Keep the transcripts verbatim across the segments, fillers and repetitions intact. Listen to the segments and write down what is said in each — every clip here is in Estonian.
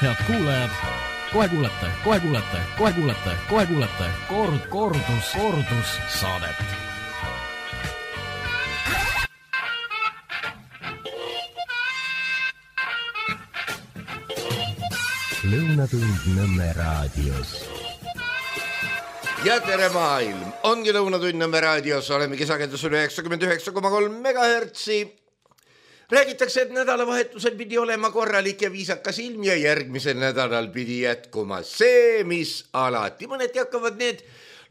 Head kuulajad, kohe kuulete, kohe kuulete, kohe kuulete, kohe kuulete kord, kordus, kordus saadet. Lõunatund Nõmme raadios. Ja tere maailm, ongi Lõunatund Nõmme raadios, oleme kesakendusel üheksakümmend üheksa koma kolm megahertsi. Räägitakse, et nädalavahetusel pidi olema korralik ja viisakas ilm ja järgmisel nädalal pidi jätkuma see, mis alati. Mõneti hakkavad need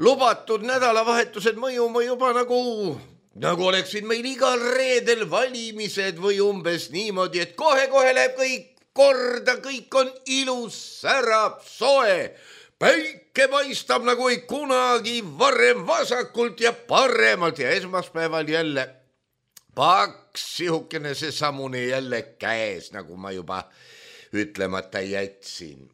lubatud nädalavahetused mõjuma juba nagu, nagu oleksid meil igal reedel valimised või umbes niimoodi, et kohe-kohe läheb kõik korda, kõik on ilus, särab, soe. Päike paistab nagu ei kunagi varem vasakult ja paremalt ja esmaspäeval jälle paks sihukene see samune jälle käes, nagu ma juba ütlemata jätsin.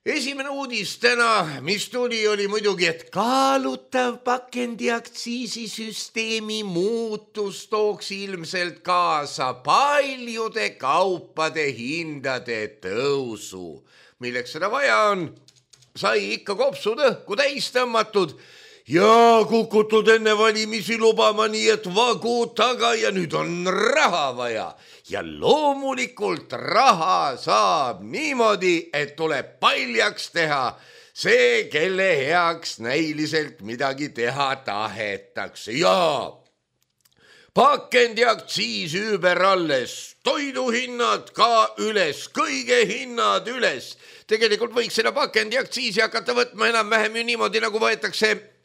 Esimene uudis täna, mis tuli, oli muidugi, et kaalutav pakendiaktsiisisüsteemi muutus tooks ilmselt kaasa paljude kaupade hindade tõusu. Milleks seda vaja on? Sai ikka kopsud õhku täis tõmmatud ja kukutud enne valimisi lubama, nii et vagu taga ja nüüd on raha vaja. Ja loomulikult raha saab niimoodi, et tuleb paljaks teha see, kelle heaks näiliselt midagi teha tahetakse. Ja pakendiaktsiis ümber alles, toiduhinnad ka üles, kõige hinnad üles. Tegelikult võiks seda pakendiaktsiisi hakata võtma enam-vähem ju niimoodi, nagu võetakse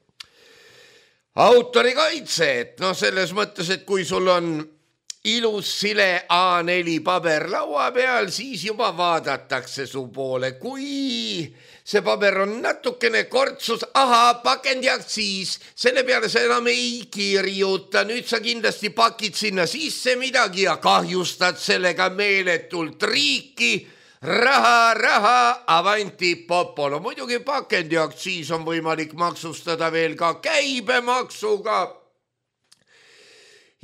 autorikaitse, et noh, selles mõttes, et kui sul on ilus sile A neli paber laua peal, siis juba vaadatakse su poole. Kui see paber on natukene kortsus, aha, pakendiaktsiis, selle peale sa enam ei kirjuta. Nüüd sa kindlasti pakid sinna sisse midagi ja kahjustad sellega meeletult riiki. Raha, raha, avanti popolo. Muidugi pakendiaktsiis on võimalik maksustada veel ka käibemaksuga.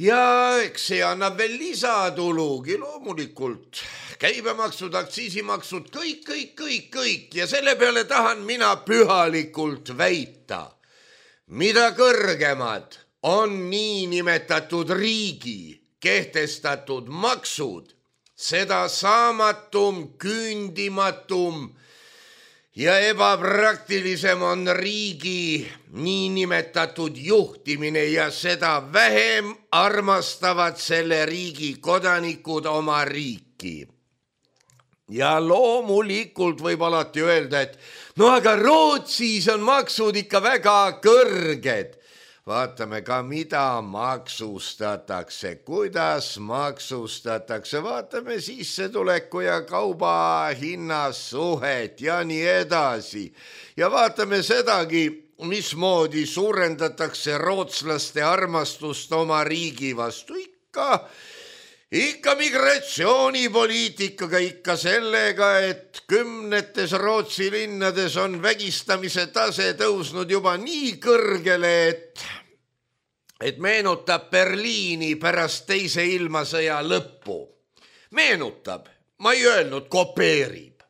Ja eks see annab veel lisatulugi loomulikult. Käibemaksud, aktsiisimaksud, kõik, kõik, kõik, kõik. Ja selle peale tahan mina pühalikult väita. Mida kõrgemad on niinimetatud riigi kehtestatud maksud, seda saamatum, küündimatum ja ebapraktilisem on riigi niinimetatud juhtimine ja seda vähem armastavad selle riigi kodanikud oma riiki. Ja loomulikult võib alati öelda, et no aga Rootsis on maksud ikka väga kõrged. Vaatame ka, mida maksustatakse, kuidas maksustatakse, vaatame sissetuleku ja kauba hinnasuhet ja nii edasi. Ja vaatame sedagi, mismoodi suurendatakse rootslaste armastust oma riigi vastu. Ikka, ikka migratsioonipoliitikaga, ikka sellega, et kümnetes Rootsi linnades on vägistamise tase tõusnud juba nii kõrgele, et et meenutab Berliini pärast teise ilmasõja lõppu. Meenutab, ma ei öelnud, kopeerib.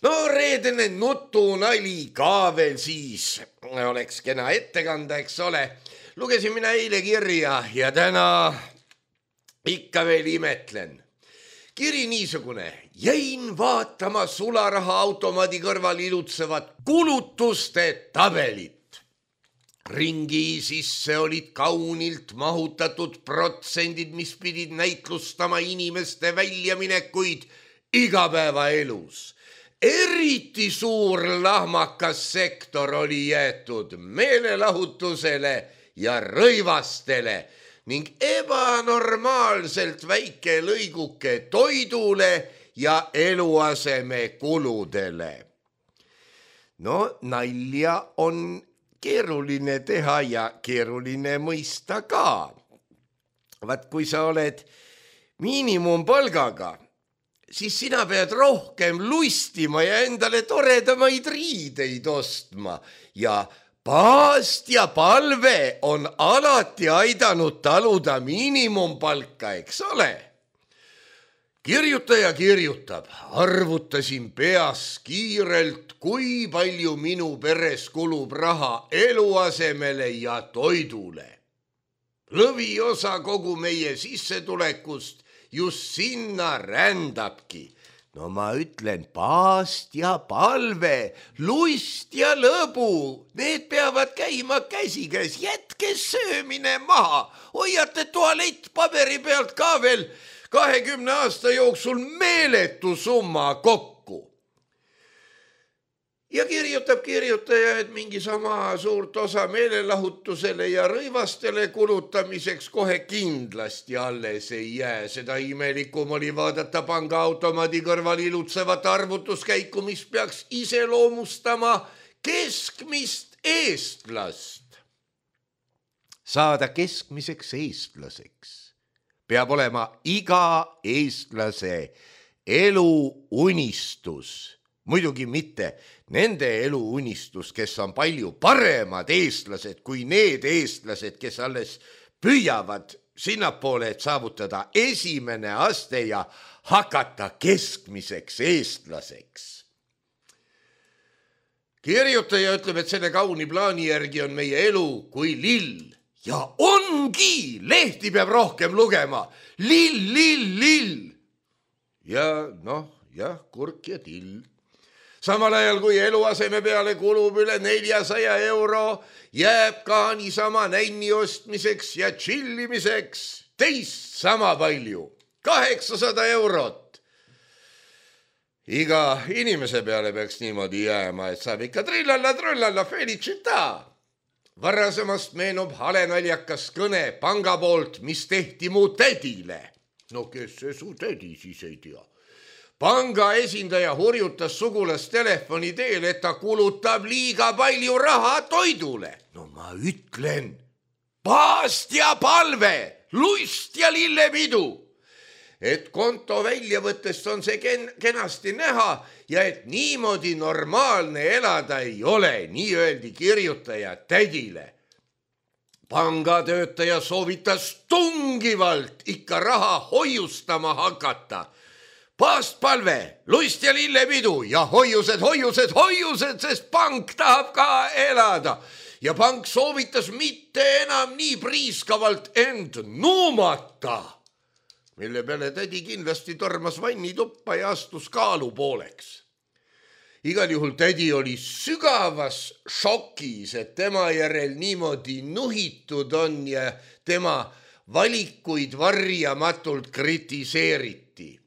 No reedene nutunali ka veel siis, oleks kena ettekanda, eks ole. Lugesin mina eile kirja ja täna ikka veel imetlen. Kiri niisugune, jäin vaatama sularaha automaadi kõrval ilutsevat kulutuste tabelit. Ringi sisse olid kaunilt mahutatud protsendid, mis pidid näitlustama inimeste väljaminekuid igapäevaelus. Eriti suur lahmakas sektor oli jäetud meelelahutusele ja rõivastele ning ebanormaalselt väike lõiguke toidule ja eluaseme kuludele. No nalja on keeruline teha ja keeruline mõista ka. Vaat kui sa oled miinimumpalgaga, siis sina pead rohkem lustima ja endale toredamaid riideid ostma. Ja paast ja palve on alati aidanud taluda miinimumpalka, eks ole? kirjutaja kirjutab, arvutasin peas kiirelt, kui palju minu peres kulub raha eluasemele ja toidule. Lõviosa kogu meie sissetulekust just sinna rändabki. No ma ütlen, paast ja palve, lust ja lõbu, need peavad käima käsikäes, jätke söömine maha, hoiate tualettpaberi pealt ka veel kahekümne aasta jooksul meeletu summa kokku. Ja kirjutab kirjutaja, et mingi sama suurt osa meelelahutusele ja rõivastele kulutamiseks kohe kindlasti alles ei jää. Seda imelikum oli vaadata pangaautomaadi kõrval ilutsevat arvutuskäiku, mis peaks iseloomustama keskmist eestlast. Saada keskmiseks eestlaseks peab olema iga eestlase eluunistus. Muidugi mitte nende eluunistus, kes on palju paremad eestlased kui need eestlased, kes alles püüavad sinnapoole, et saavutada esimene aste ja hakata keskmiseks eestlaseks. Kirjutaja ütleb, et selle kauni plaani järgi on meie elu kui lill. Ja ongi, lehti peab rohkem lugema. Lill, lill, lill. Ja noh, jah, kurk ja till. Samal ajal kui eluaseme peale kulub üle neljasaja euro, jääb ka niisama nänni ostmiseks ja chillimiseks teist sama palju, kaheksasada eurot. Iga inimese peale peaks niimoodi jääma, et saab ikka trillalla, trullalla, felicita. Varasemast meenub hale naljakas kõne panga poolt, mis tehti mu tädile. No kes see su tädi siis ei tea? Panga esindaja hurjutas sugulast telefoni teel, et ta kulutab liiga palju raha toidule. No ma ütlen, paast ja palve, lust ja lillepidu. Et konto väljavõttest on see ken- kenasti näha ja et niimoodi normaalne elada ei ole, nii öeldi kirjutaja tädile. Pangatöötaja soovitas tungivalt ikka raha hoiustama hakata. Paastpalve, lust ja lillepidu ja hoiused, hoiused, hoiused, sest pank tahab ka elada. Ja pank soovitas mitte enam nii priiskavalt end nuumata, mille peale tädi kindlasti tormas vannituppa ja astus kaalu pooleks. Igal juhul tädi oli sügavas šokis, et tema järel niimoodi nuhitud on ja tema valikuid varjamatult kritiseeriti.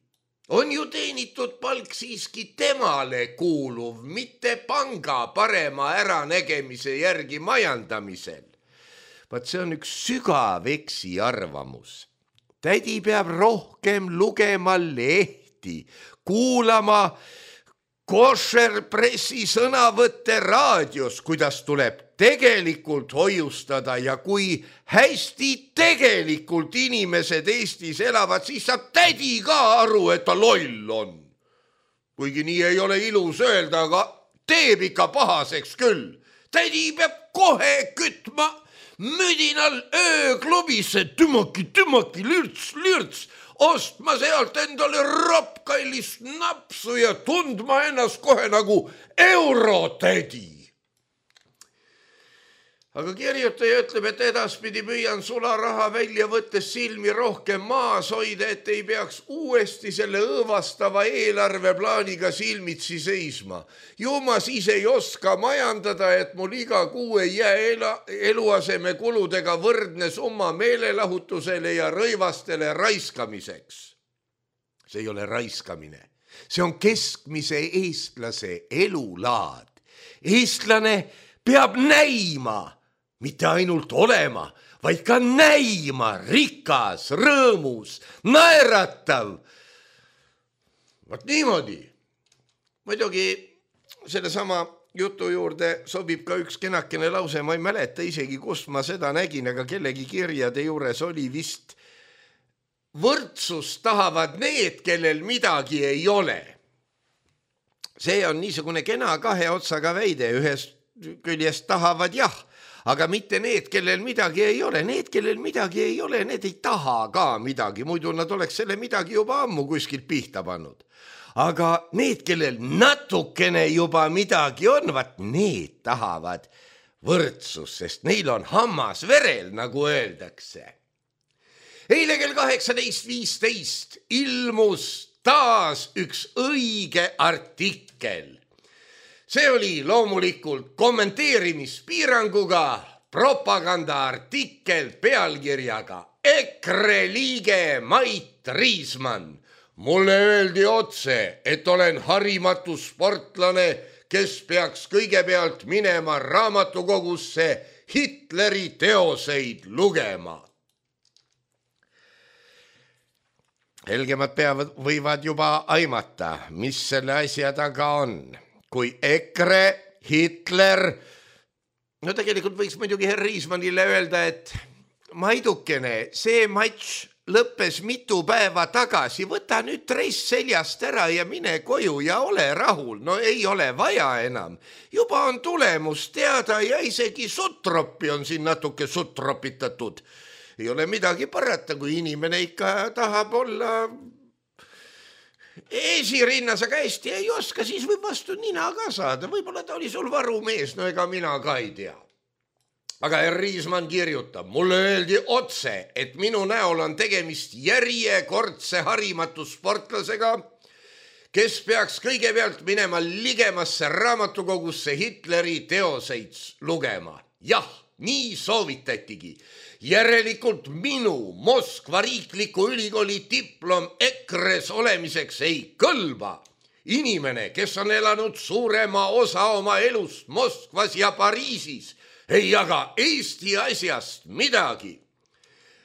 On ju teenitud palk siiski temale kuuluv, mitte panga parema äranägemise järgi majandamisel. Vaat see on üks sügav eksi arvamus. Tädi peab rohkem lugema lehti, kuulama košerpressi sõnavõtte raadios, kuidas tuleb tegelikult hoiustada ja kui hästi tegelikult inimesed Eestis elavad, siis saab tädi ka aru, et ta loll on. Kuigi nii ei ole ilus öelda, aga teeb ikka pahaseks küll. Tädi peab kohe kütma müdinal ööklubisse, tümaki, tümaki, lürts, lürts, ostma sealt endale ropkallist napsu ja tundma ennast kohe nagu eurotädi. Aga kirjutaja ütleb, et edaspidi püüan sularaha välja võttes silmi rohkem maas hoida, et ei peaks uuesti selle õõvastava eelarveplaaniga silmitsi seisma. Ju ma siis ei oska majandada, et mul iga kuu ei jää eluaseme kuludega võrdne summa meelelahutusele ja rõivastele raiskamiseks. See ei ole raiskamine. See on keskmise eestlase elulaad. Eestlane peab näima, mitte ainult olema, vaid ka näima rikas, rõõmus, naeratav. Vaat niimoodi. Muidugi selle sama jutu juurde sobib ka üks kenakene lause, ma ei mäleta isegi, kust ma seda nägin, aga kellegi kirjade juures oli vist võrdsust tahavad need, kellel midagi ei ole. See on niisugune kena kahe otsaga väide, ühest küljest tahavad jah, aga mitte need, kellel midagi ei ole. Need, kellel midagi ei ole, need ei taha ka midagi, muidu nad oleks selle midagi juba ammu kuskilt pihta pannud. Aga need, kellel natukene juba midagi on, vaat need tahavad võrdsus, sest neil on hammas verel, nagu öeldakse. Eile kell kaheksateist viisteist ilmus taas üks õige artikkel. See oli loomulikult kommenteerimispiiranguga propagandaartikkel pealkirjaga EKRE liige Mait Riismann. Mulle öeldi otse, et olen harimatu sportlane, kes peaks kõigepealt minema raamatukogusse Hitleri teoseid lugema. Helgemad peavad, võivad juba aimata, mis selle asja taga on. Kui EKRE, Hitler, no tegelikult võiks muidugi herr Riismannile öelda, et Maidukene, see matš lõppes mitu päeva tagasi, võta nüüd dress seljast ära ja mine koju ja ole rahul, no ei ole vaja enam. Juba on tulemus teada ja isegi sutroppi on siin natuke sutropitatud. Ei ole midagi parata, kui inimene ikka tahab olla esirinnas, aga hästi ei oska, siis võib vastu nina ka saada. Võib-olla ta oli sul varumees, no ega mina ka ei tea. Aga herr Riismann kirjutab, mulle öeldi otse, et minu näol on tegemist järjekordse harimatu sportlasega, kes peaks kõigepealt minema ligemasse raamatukogusse Hitleri teoseid lugema. Jah, nii soovitatigi. Järelikult minu Moskva riikliku ülikooli diplom EKRE-s olemiseks ei kõlba. Inimene, kes on elanud suurema osa oma elust Moskvas ja Pariisis, ei jaga Eesti asjast midagi.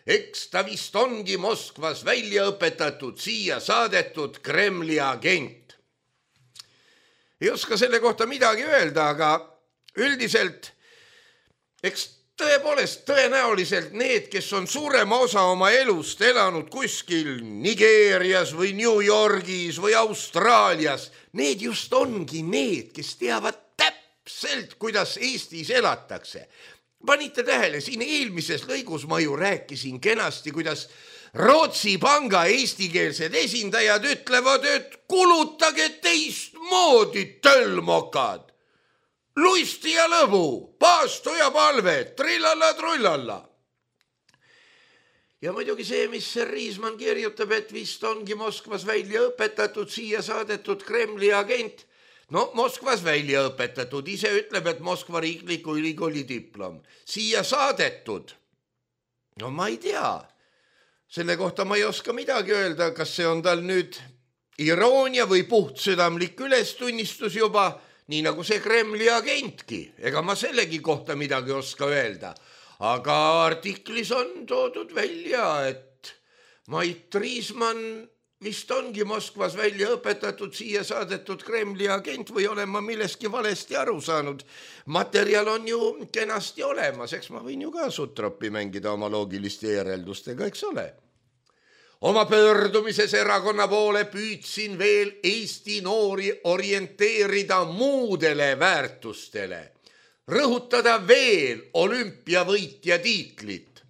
Eks ta vist ongi Moskvas välja õpetatud, siia saadetud Kremli agent. Ei oska selle kohta midagi öelda, aga üldiselt eks tõepoolest tõenäoliselt need, kes on suurema osa oma elust elanud kuskil Nigeerias või New Yorgis või Austraalias, need just ongi need, kes teavad täpselt, kuidas Eestis elatakse. Panite tähele, siin eelmises lõigus ma ju rääkisin kenasti, kuidas Rootsi panga eestikeelsed esindajad ütlevad, et kulutage teistmoodi tölmokad. Luisti ja lõbu, paastu ja palve, trillalla-trullalla. Ja muidugi see, mis Riismann kirjutab, et vist ongi Moskvas välja õpetatud, siia saadetud Kremli agent. No Moskvas välja õpetatud, ise ütleb, et Moskva riikliku ülikooli diplom. Siia saadetud. No ma ei tea. Selle kohta ma ei oska midagi öelda, kas see on tal nüüd iroonia või puhtsüdamlik ülestunnistus juba, nii nagu see Kremli agentki. Ega ma sellegi kohta midagi oska öelda. Aga artiklis on toodud välja, et Mait Riismann vist ongi Moskvas välja õpetatud, siia saadetud Kremli agent või olen ma milleski valesti aru saanud. Materjal on ju kenasti olemas, eks ma võin ju ka sutroppi mängida oma loogiliste järeldustega, eks ole. Oma pöördumises erakonna poole püüdsin veel Eesti noori orienteerida muudele väärtustele, rõhutada veel olümpiavõitja tiitlit.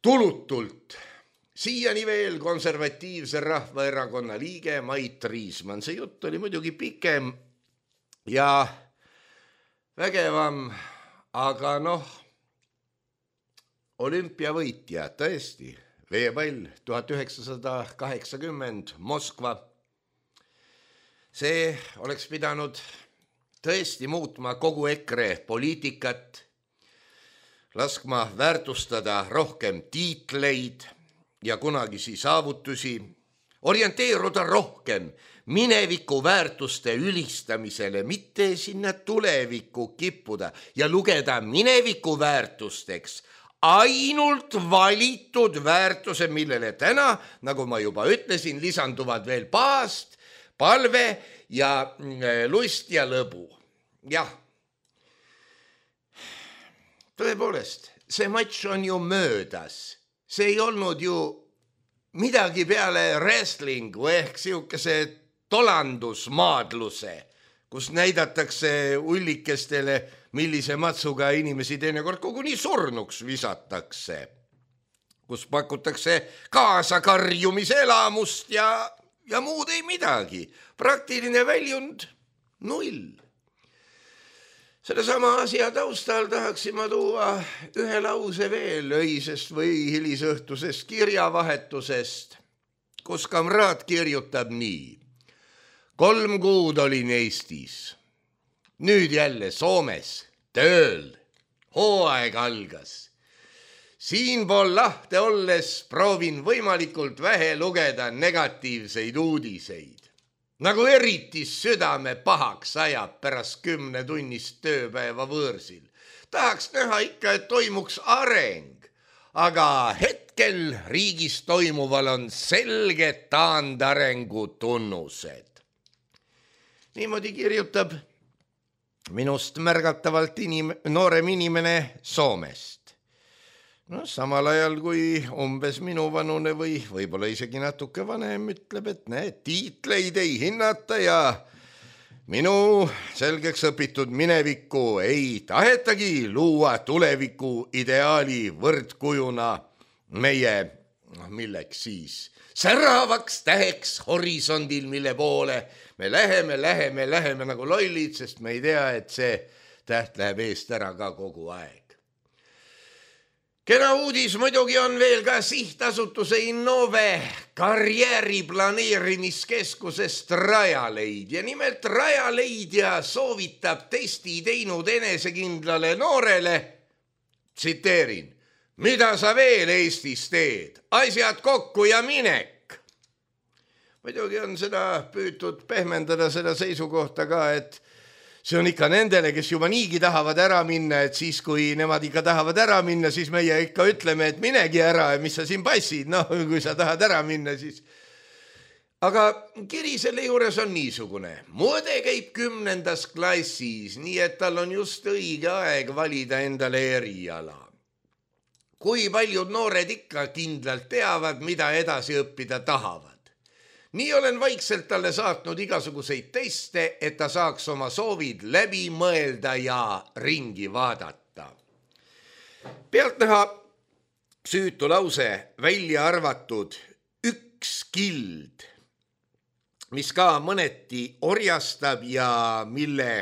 Tulutult, siiani veel konservatiivse rahvaerakonna liige Mait Riismann. See jutt oli muidugi pikem ja vägevam, aga noh, olümpiavõitja tõesti. Veepall tuhat üheksasada kaheksakümmend Moskva. See oleks pidanud tõesti muutma kogu EKRE poliitikat, laskma väärtustada rohkem tiitleid ja kunagisi saavutusi, orienteeruda rohkem mineviku väärtuste ülistamisele, mitte sinna tulevikku kippuda ja lugeda mineviku väärtusteks ainult valitud väärtuse, millele täna, nagu ma juba ütlesin, lisanduvad veel paast, palve ja lust ja lõbu. Jah, tõepoolest, see matš on ju möödas. See ei olnud ju midagi peale wrestlingu ehk siukese tolandusmaadluse, kus näidatakse ullikestele millise matsuga inimesi teinekord koguni surnuks visatakse, kus pakutakse kaasakarjumise elamust ja, ja muud ei midagi. Praktiline väljund null. Selle sama asja taustal tahaksin ma tuua ühe lause veel öisest või hilisõhtusest kirjavahetusest, kus kamraad kirjutab nii. Kolm kuud olin Eestis, nüüd jälle Soomes, tööl, hooaeg algas. Siinpool lahte olles proovin võimalikult vähe lugeda negatiivseid uudiseid. Nagu eriti südame pahaks ajab pärast kümne tunnist tööpäeva võõrsil. Tahaks näha ikka, et toimuks areng, aga hetkel riigis toimuval on selged taandarengu tunnused. Niimoodi kirjutab minust märgatavalt inim- noorem inimene Soomest. No, samal ajal kui umbes minu vanune või võib-olla isegi natuke vanem ütleb, et näed, tiitleid ei hinnata ja minu selgeks õpitud minevikku ei tahetagi luua tuleviku ideaali võrdkujuna meie, noh, milleks siis, säravaks täheks horisondil, mille poole me läheme, läheme, läheme nagu lollid, sest me ei tea, et see täht läheb eest ära ka kogu aeg. Kena uudis muidugi on veel ka sihtasutuse Innove karjääri planeerimiskeskusest Rajaleidja. Nimelt Rajaleidja soovitab testi teinud enesekindlale noorele, tsiteerin, mida sa veel Eestis teed, asjad kokku ja minek. Muidugi on seda püütud pehmendada seda seisukohta ka, et see on ikka nendele, kes juba niigi tahavad ära minna, et siis kui nemad ikka tahavad ära minna, siis meie ikka ütleme, et minegi ära, mis sa siin passid, noh, kui sa tahad ära minna, siis. Aga kiri selle juures on niisugune. Muode käib kümnendas klassis, nii et tal on just õige aeg valida endale eriala. Kui paljud noored ikka kindlalt teavad, mida edasi õppida tahavad. Nii olen vaikselt talle saatnud igasuguseid teste, et ta saaks oma soovid läbi mõelda ja ringi vaadata. Pealtnäha süütu lause välja arvatud üks kild, mis ka mõneti orjastab ja mille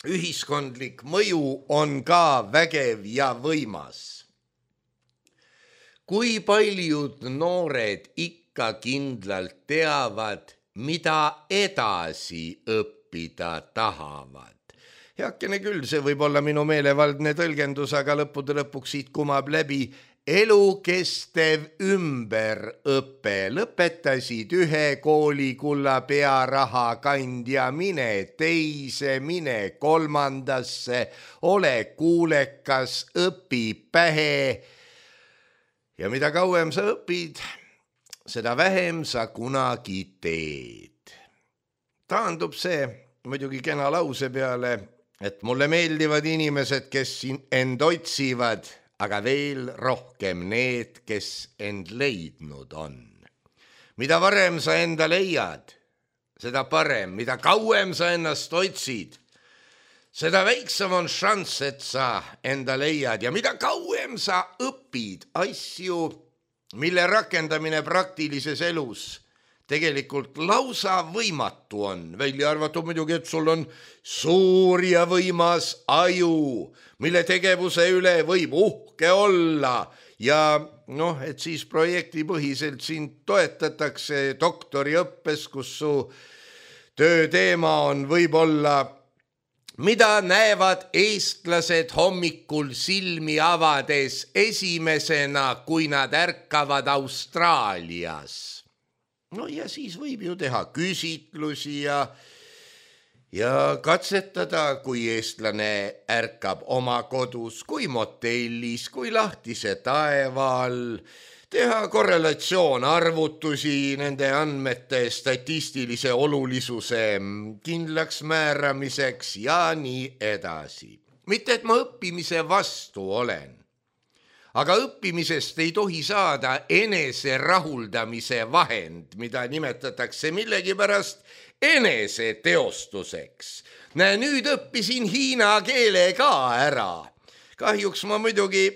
ühiskondlik mõju on ka vägev ja võimas. Kui paljud noored ikka kindlalt teavad, mida edasi õppida tahavad. Heakene küll, see võib olla minu meelevaldne tõlgendus, aga lõppude lõpuks siit kumab läbi elukestev ümberõpe. Lõpetasid ühe kooli kulla pearaha kandja, mine teise, mine kolmandasse, ole kuulekas, õpi pähe. Ja mida kauem sa õpid, seda vähem sa kunagi teed. Taandub see muidugi kena lause peale, et mulle meeldivad inimesed, kes end otsivad, aga veel rohkem need, kes end leidnud on. Mida varem sa enda leiad, seda parem, mida kauem sa ennast otsid, seda väiksem on šanss, et sa enda leiad ja mida kauem sa õpid asju, mille rakendamine praktilises elus tegelikult lausa võimatu on. Välja arvatud muidugi, et sul on suur ja võimas aju, mille tegevuse üle võib uhke olla ja noh, et siis projektipõhiselt sind toetatakse doktoriõppes, kus su tööteema on võib-olla mida näevad eestlased hommikul silmi avades esimesena, kui nad ärkavad Austraalias. No ja siis võib ju teha küsitlusi ja, ja katsetada, kui eestlane ärkab oma kodus, kui motellis, kui lahtise taeva all, teha korrelatsioon arvutusi nende andmete statistilise olulisuse kindlaks määramiseks ja nii edasi. Mitte, et ma õppimise vastu olen, aga õppimisest ei tohi saada enese rahuldamise vahend, mida nimetatakse millegipärast eneseteostuseks. Näe, nüüd õppisin hiina keele ka ära. Kahjuks ma muidugi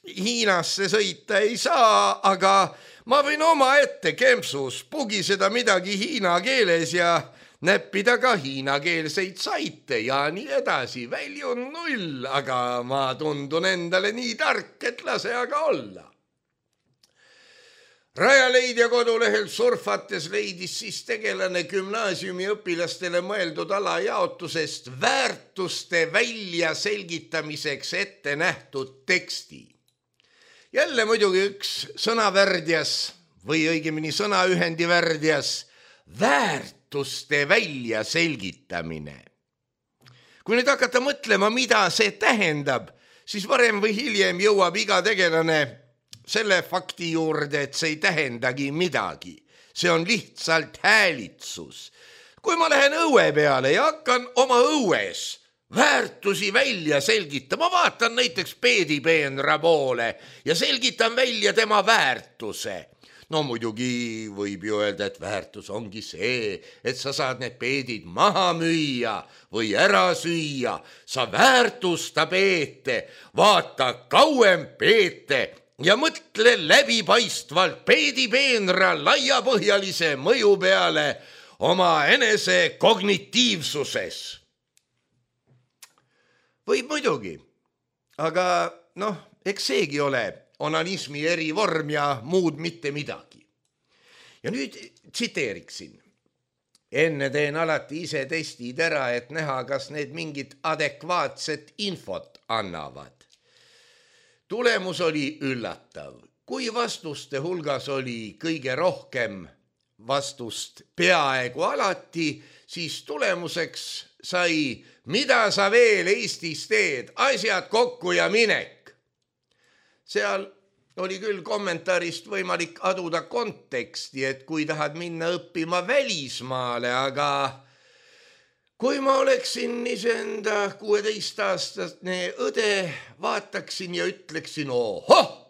Hiinasse sõita ei saa, aga ma võin oma ette kempsus pugiseda midagi hiina keeles ja näppida ka hiinakeelseid saite ja nii edasi. Väljun null, aga ma tundun endale nii tark, et lase aga olla. Rajaleidja kodulehel surfates leidis siis tegelane gümnaasiumi õpilastele mõeldud alajaotusest väärtuste välja selgitamiseks ette nähtud teksti. Jälle muidugi üks sõnavärdjas või õigemini sõnaühendi värdjas väärtuste välja selgitamine. Kui nüüd hakata mõtlema, mida see tähendab, siis varem või hiljem jõuab iga tegelane selle fakti juurde, et see ei tähendagi midagi. See on lihtsalt häälitsus. Kui ma lähen õue peale ja hakkan oma õues väärtusi välja selgitama, vaatan näiteks peedipeenra poole ja selgitan välja tema väärtuse. No muidugi võib ju öelda, et väärtus ongi see, et sa saad need peedid maha müüa või ära süüa. Sa väärtusta peete, vaata kauem peete ja mõtle läbipaistvalt peedipeenra laiapõhjalise mõju peale oma enese kognitiivsuses. Võib muidugi, aga noh, eks seegi ole onanismi erivorm ja muud mitte midagi. Ja nüüd tsiteeriksin. Enne teen alati ise testid ära, et näha, kas need mingit adekvaatset infot annavad. Tulemus oli üllatav. Kui vastuste hulgas oli kõige rohkem vastust peaaegu alati, siis tulemuseks sai, mida sa veel Eestis teed, asjad kokku ja minek. Seal oli küll kommentaarist võimalik aduda konteksti, et kui tahad minna õppima välismaale, aga kui ma oleksin iseenda kuueteistaastane õde, vaataksin ja ütleksin, ohoh!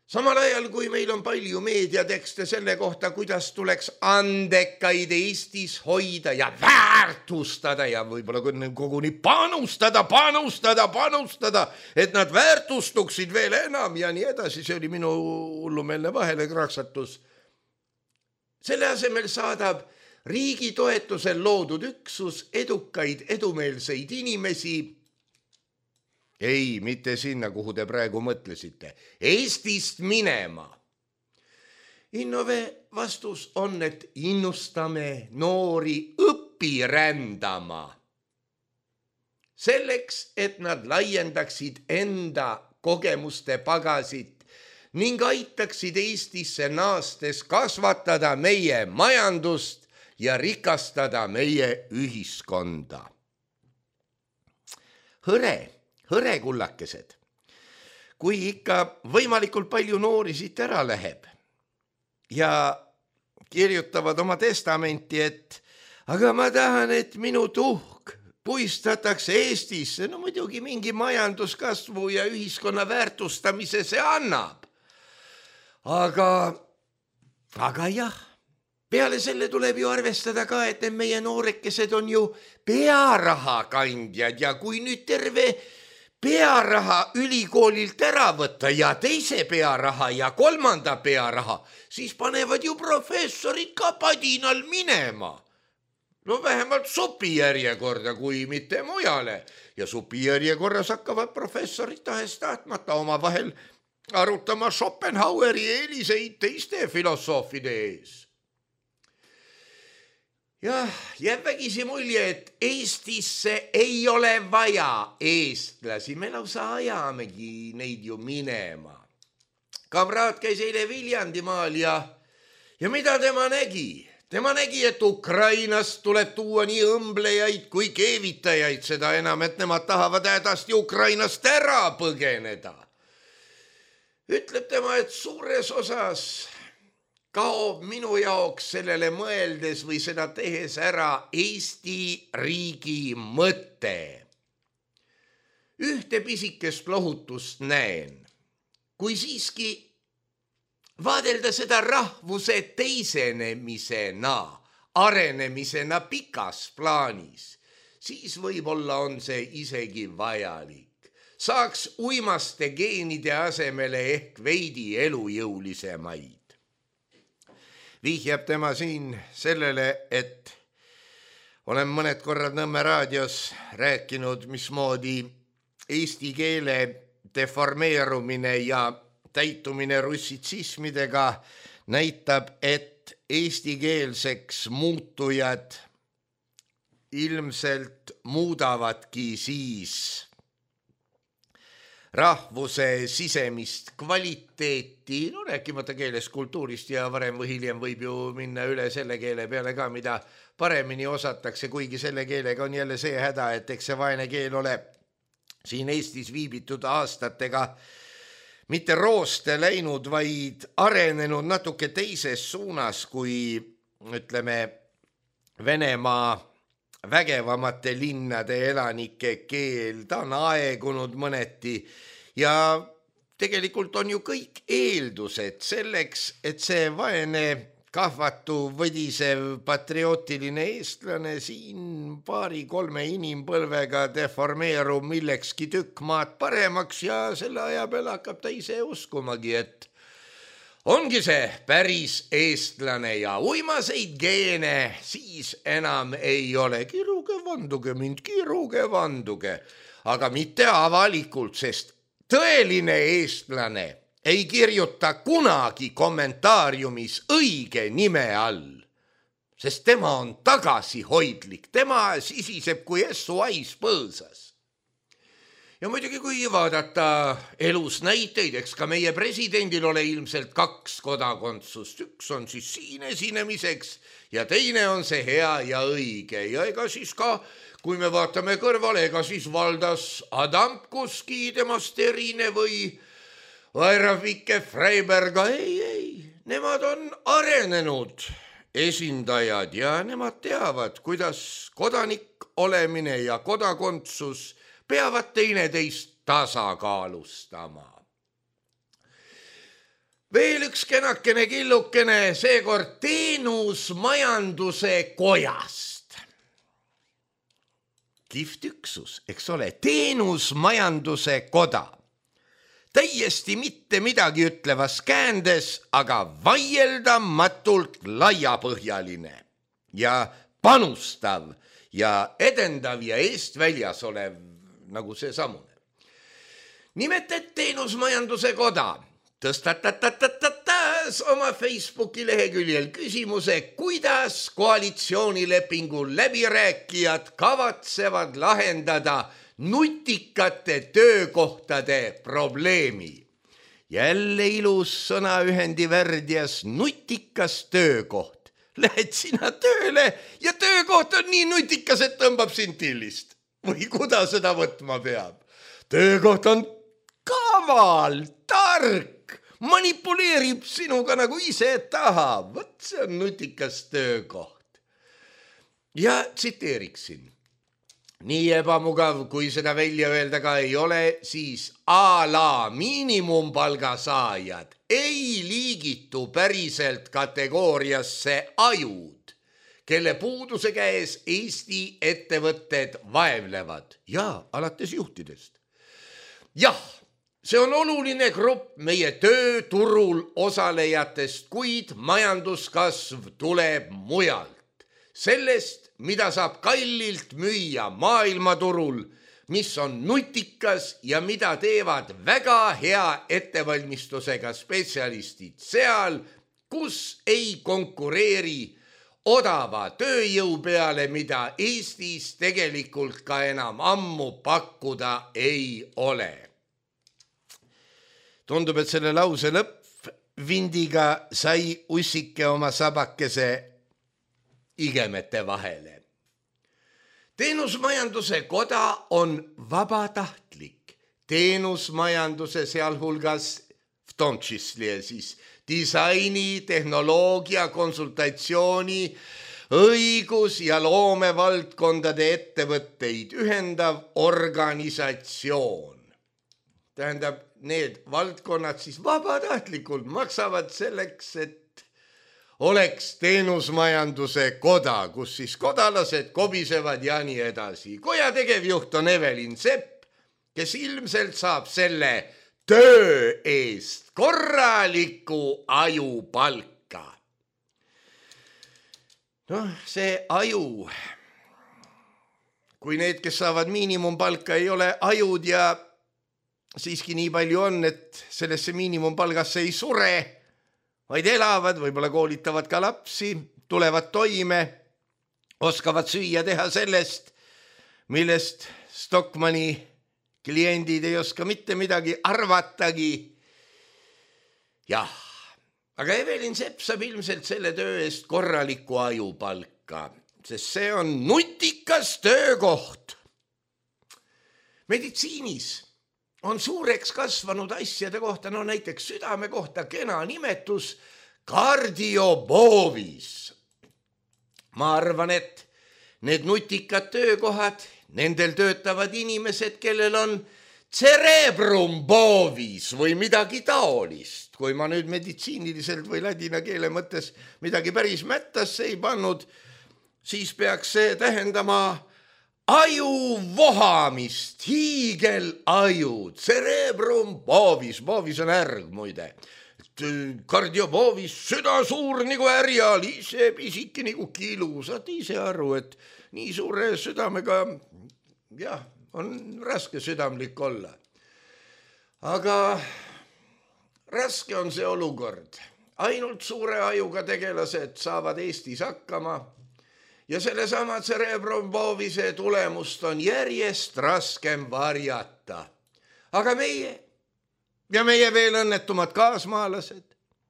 Samal ajal, kui meil on palju meediatekste selle kohta, kuidas tuleks andekaid Eestis hoida ja väärtustada ja võib-olla koguni panustada, panustada, panustada, et nad väärtustuksid veel enam ja nii edasi. See oli minu hullumeelne vahele kraksatus. Selle asemel saadab riigi toetusel loodud üksus edukaid, edumeelseid inimesi. Ei, mitte sinna, kuhu te praegu mõtlesite. Eestist minema. Innove vastus on, et innustame noori õpirändama. Selleks, et nad laiendaksid enda kogemuste pagasit ning aitaksid Eestisse naastes kasvatada meie majandust ja rikastada meie ühiskonda. Hõre. Hõre kullakesed, kui ikka võimalikult palju noori siit ära läheb ja kirjutavad oma testamenti, et aga ma tahan, et minu tuhk puistatakse Eestisse, no muidugi mingi majanduskasvu ja ühiskonna väärtustamise see annab. Aga, aga jah, peale selle tuleb ju arvestada ka, et need meie noorekesed on ju pearaha kandjad ja kui nüüd terve pearaha ülikoolilt ära võtta ja teise pearaha ja kolmanda pearaha, siis panevad ju professorid ka padinal minema. No vähemalt supijärjekorda, kui mitte mujale. Ja supijärjekorras hakkavad professorid tahes tahtmata oma vahel arutama Schopenhaueri eeliseid teiste filosoofide ees. Jah, jääb vägisi mulje, et Eestisse ei ole vaja eestlasi. Me lausa ajamegi neid ju minema. Kamraad käis eile Viljandimaal ja, ja mida tema nägi? Tema nägi, et Ukrainast tuleb tuua nii õmblejaid kui keevitajaid, seda enam, et nemad tahavad hädasti Ukrainast ära põgeneda. Ütleb tema, et suures osas kaob minu jaoks sellele mõeldes või seda tehes ära Eesti riigi mõte. ühte pisikest lohutust näen. Kui siiski vaadelda seda rahvuse teisenemisena, arenemisena pikas plaanis, siis võib-olla on see isegi vajalik. Saaks uimaste geenide asemele ehk veidi elujõulisemaid. Vihjab tema siin sellele, et olen mõned korrad Nõmme raadios rääkinud, mismoodi eesti keele deformeerumine ja täitumine russitsismidega näitab, et eestikeelseks muutujad ilmselt muudavadki siis rahvuse sisemist kvaliteeti, no rääkimata keelest, kultuurist ja varem või hiljem võib ju minna üle selle keele peale ka, mida paremini osatakse, kuigi selle keelega on jälle see häda, et eks see vaene keel ole siin Eestis viibitud aastatega mitte rooste läinud, vaid arenenud natuke teises suunas, kui ütleme Venemaa vägevamate linnade elanike keel. Ta on aegunud mõneti ja tegelikult on ju kõik eeldused selleks, et see vaene kahvatu, võdisev, patriootiline eestlane siin paari-kolme inimpõlvega deformeerub millekski tükk maad paremaks ja selle aja peale hakkab ta ise uskumagi, et ongi see päris eestlane ja uimaseid geene siis enam ei ole. Kiruge, vanduge mind, kiruge, vanduge, aga mitte avalikult, sest tõeline eestlane ei kirjuta kunagi kommentaariumis õige nime all, sest tema on tagasihoidlik, tema sisiseb kui essu ais põõsas. Ja muidugi, kui vaadata elus näiteid, eks ka meie presidendil ole ilmselt kaks kodakondsust. Üks on siis siin esinemiseks ja teine on see hea ja õige. Ja ega siis ka, kui me vaatame kõrvale, ega siis Valdas Adamkuski temast erine või Vairafike Freiberga, ei, ei, nemad on arenenud esindajad ja nemad teavad, kuidas kodanik olemine ja kodakondsus peavad teineteist tasakaalustama. Veel üks kenakene killukene, seekord teenusmajanduse kojast. Kihvt üksus, eks ole, teenusmajanduse koda. Täiesti mitte midagi ütlevas käändes, aga vaieldamatult laiapõhjaline ja panustav ja edendav ja eest väljas olev nagu see samune. Nimelt, et teenusmajanduse koda tõstatatatas oma Facebooki leheküljel küsimuse, kuidas koalitsioonilepingu läbirääkijad kavatsevad lahendada nutikate töökohtade probleemi. Jälle ilus sõnaühendi värdjas, nutikas töökoht. Lähed sina tööle ja töökoht on nii nutikas, et tõmbab sind tillist. Või kuda seda võtma peab? Töökoht on kaval, tark, manipuleerib sinuga nagu ise tahab. Võt see on nutikas töökoht. Ja tsiteeriksin. Nii ebamugav, kui seda välja öelda ka ei ole, siis a la miinimumpalga saajad ei liigitu päriselt kategooriasse ajud, kelle puuduse käes Eesti ettevõtted vaevlevad ja alates juhtidest. Jah, see on oluline grupp meie tööturul osalejatest, kuid majanduskasv tuleb mujalt. Sellest, mida saab kallilt müüa maailmaturul, mis on nutikas ja mida teevad väga hea ettevalmistusega spetsialistid seal, kus ei konkureeri odava tööjõu peale, mida Eestis tegelikult ka enam ammu pakkuda ei ole. Tundub, et selle lause lõppvindiga sai ussike oma sabakese igemete vahele. Teenusmajanduse koda on vabatahtlik. Teenusmajanduse sealhulgas v tom čísle siis disaini, tehnoloogia, konsultatsiooni, õigus- ja loomevaldkondade ettevõtteid ühendav organisatsioon. Tähendab, need valdkonnad siis vabatahtlikult maksavad selleks, et oleks teenusmajanduse koda, kus siis kodalased kobisevad ja nii edasi. Koja tegevjuht on Evelin Sepp, kes ilmselt saab selle töö eest korraliku ajupalka. Noh, see aju, kui need, kes saavad miinimumpalka, ei ole ajud ja siiski nii palju on, et sellesse miinimumpalgasse ei sure, vaid elavad, võib-olla koolitavad ka lapsi, tulevad toime, oskavad süüa teha sellest, millest Stockmanni kliendid ei oska mitte midagi arvatagi. Jah, aga Evelin Sepp saab ilmselt selle töö eest korraliku ajupalka, sest see on nutikas töökoht. Meditsiinis on suureks kasvanud asjade kohta, no näiteks südame kohta kena nimetus kardioboovis. Ma arvan, et need nutikad töökohad, nendel töötavad inimesed, kellel on cerebrum bovis või midagi taolist. Kui ma nüüd meditsiiniliselt või ladina keele mõttes midagi päris mättasse ei pannud, siis peaks see tähendama aju vohamist, hiigelaju, cerebrum bovis, bovis on ärg muide. Kardioboovis, süda suur nagu ärjal, ise pisiki nagu kilu, saad ise aru, et nii suure südamega, jah, on raske südamlik olla. Aga raske on see olukord. Ainult suure ajuga tegelased saavad Eestis hakkama ja sellesama cerebrum bovise tulemust on järjest raskem varjata. Aga meie ja meie veel õnnetumad kaasmaalased,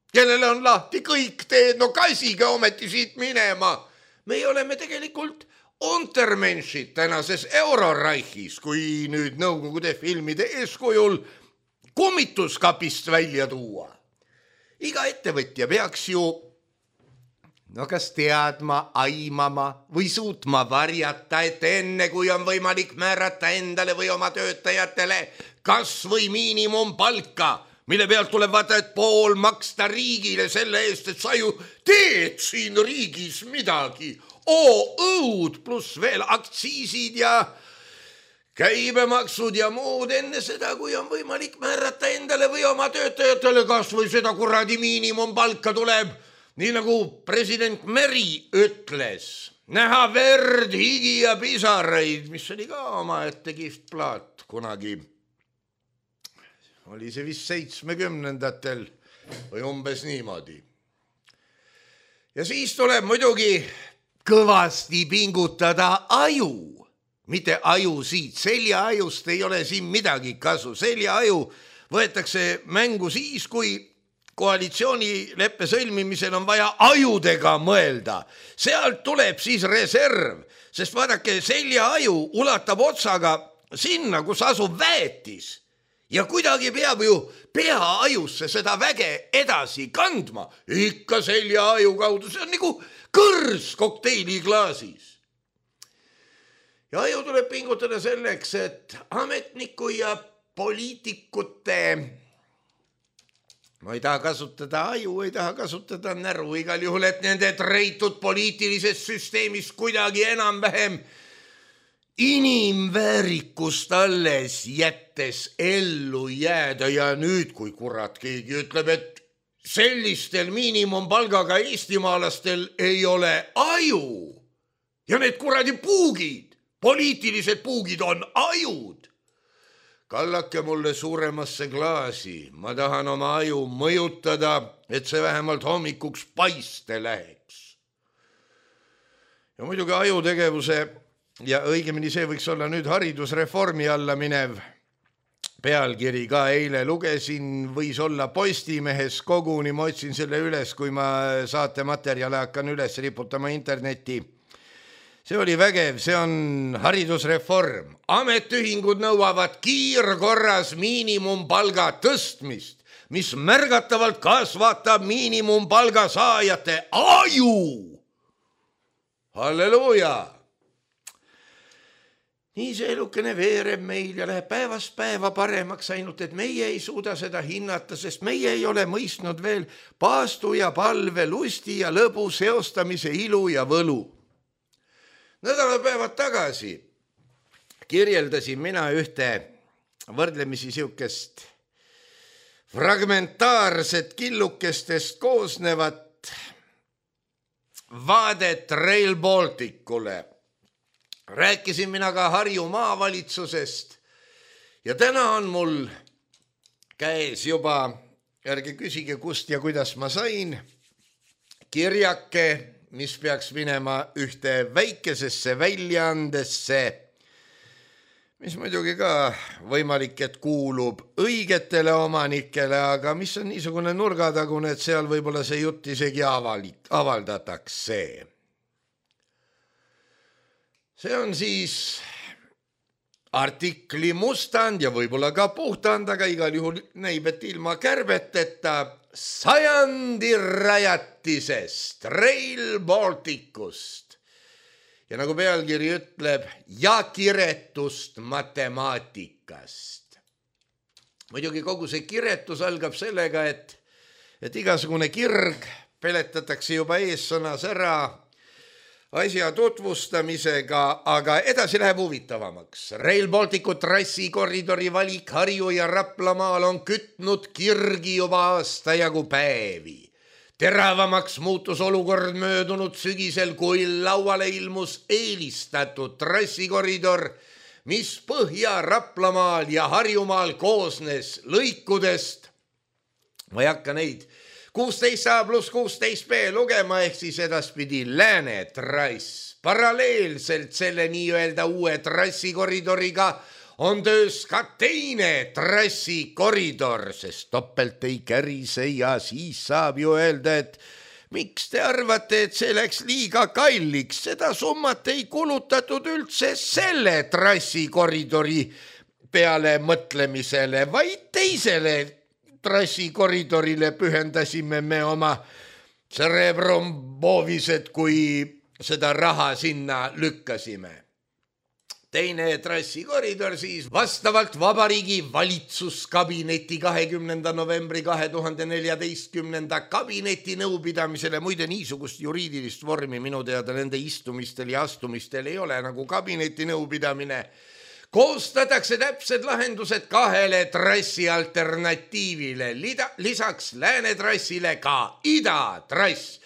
kellele on lahti kõik teed, no kasige ometi siit minema. Meie oleme tegelikult untermenšid tänases Euroraichis, kui nüüd Nõukogude filmide eeskujul kummituskapist välja tuua. Iga ettevõtja peaks ju no kas teadma, aimama või suutma varjata, et enne kui on võimalik määrata endale või oma töötajatele kas või miinimumpalka, mille pealt tuleb vaata, et pool maksta riigile selle eest, et sa ju teed siin riigis midagi. Oo, õud pluss veel aktsiisid ja käibemaksud ja muud enne seda, kui on võimalik määrata endale või oma töötajatele kas või seda kuradi miinimumpalka tuleb, nii nagu president Meri ütles, näha verd, higi ja pisaraid, mis oli ka oma ette kihvt plaat kunagi. Oli see vist seitsmekümnendatel või umbes niimoodi. Ja siis tuleb muidugi kõvasti pingutada aju. Mitte aju siit, seljaajust ei ole siin midagi kasu. Seljaaju võetakse mängu siis, kui koalitsioonileppe sõlmimisel on vaja ajudega mõelda. Sealt tuleb siis reserv, sest vaadake, seljaaju ulatab otsaga sinna, kus asub väetis. Ja kuidagi peab ju peaajusse seda väge edasi kandma. Ikka seljaaju kaudu, see on nagu kõrs kokteiliklaasis. Ja aju tuleb pingutada selleks, et ametniku ja poliitikute, ma ei taha kasutada aju, ei taha kasutada näru, igal juhul, et nende treitud poliitilisest süsteemist kuidagi enam vähem inimväärikust alles jättes ellu jääda. Ja nüüd, kui kurat keegi ütleb, et sellistel miinimumpalgaga eestimaalastel ei ole aju ja need kuradi puugid, poliitilised puugid on ajud. Kallake mulle suuremasse klaasi, ma tahan oma aju mõjutada, et see vähemalt hommikuks paiste läheks. Ja muidugi ajutegevuse ja õigemini see võiks olla nüüd haridusreformi alla minev pealkiri ka eile lugesin, võis olla Postimehes koguni, ma otsin selle üles, kui ma saate materjale hakkan üles riputama internetti. See oli vägev, see on haridusreform. Ametühingud nõuavad kiirkorras miinimumpalga tõstmist, mis märgatavalt kasvatab miinimumpalga saajate aju. halleluuja. nii see elukene veereb meil ja läheb päevast päeva paremaks, ainult et meie ei suuda seda hinnata, sest meie ei ole mõistnud veel paastu ja palve, lusti ja lõbu seostamise ilu ja võlu. Nädalapäevad tagasi kirjeldasin mina ühte võrdlemisi siukest fragmentaarset killukestest koosnevat vaadet Rail Balticule. Rääkisin mina ka Harju maavalitsusest ja täna on mul käes juba, ärge küsige kust ja kuidas ma sain, kirjake, mis peaks minema ühte väikesesse väljaandesse, mis muidugi ka võimalik, et kuulub õigetele omanikele, aga mis on niisugune nurgatagune, et seal võib-olla see jutt isegi avalik, avaldatakse. See on siis artikli mustand ja võib-olla ka puhtand, aga igal juhul näib, et ilma kärbeteta sajandi rajatisest, Rail Balticust. Ja nagu pealkiri ütleb, ja kiretust matemaatikast. Muidugi kogu see kiretus algab sellega, et, et igasugune kirg peletatakse juba eessõnas ära asja tutvustamisega, aga edasi läheb huvitavamaks. Rail Balticu trassikoridori valik Harju ja Raplamaal on kütnud kirgi juba aasta jagu päevi. Teravamaks muutus olukord möödunud sügisel, kui lauale ilmus eelistatud trassikoridor, mis Põhja Raplamaal ja Harjumaal koosnes lõikudest. Ma ei hakka neid kuusteist A pluss kuusteist B lugema, ehk siis edaspidi lääne trass. Paralleelselt selle nii-öelda uue trassikoridoriga on töös ka teine trassikoridor, sest topelt ei kärise ja siis saab ju öelda, et miks te arvate, et see läks liiga kalliks, seda summat ei kulutatud üldse selle trassikoridori peale mõtlemisele, vaid teisele trassikoridoririle pühendasime me oma cerebrum bovised, kui seda raha sinna lükkasime. Teine trassikoridor siis vastavalt Vabariigi valitsuskabineti kahekümnenda novembri kahe tuhande neljateistkümnenda kabineti nõupidamisele, muide niisugust juriidilist vormi minu teada nende istumistel ja astumistel ei ole nagu kabineti nõupidamine, koostatakse täpsed lahendused kahele trassi alternatiivile, lisaks läänetrassile ka idatrass.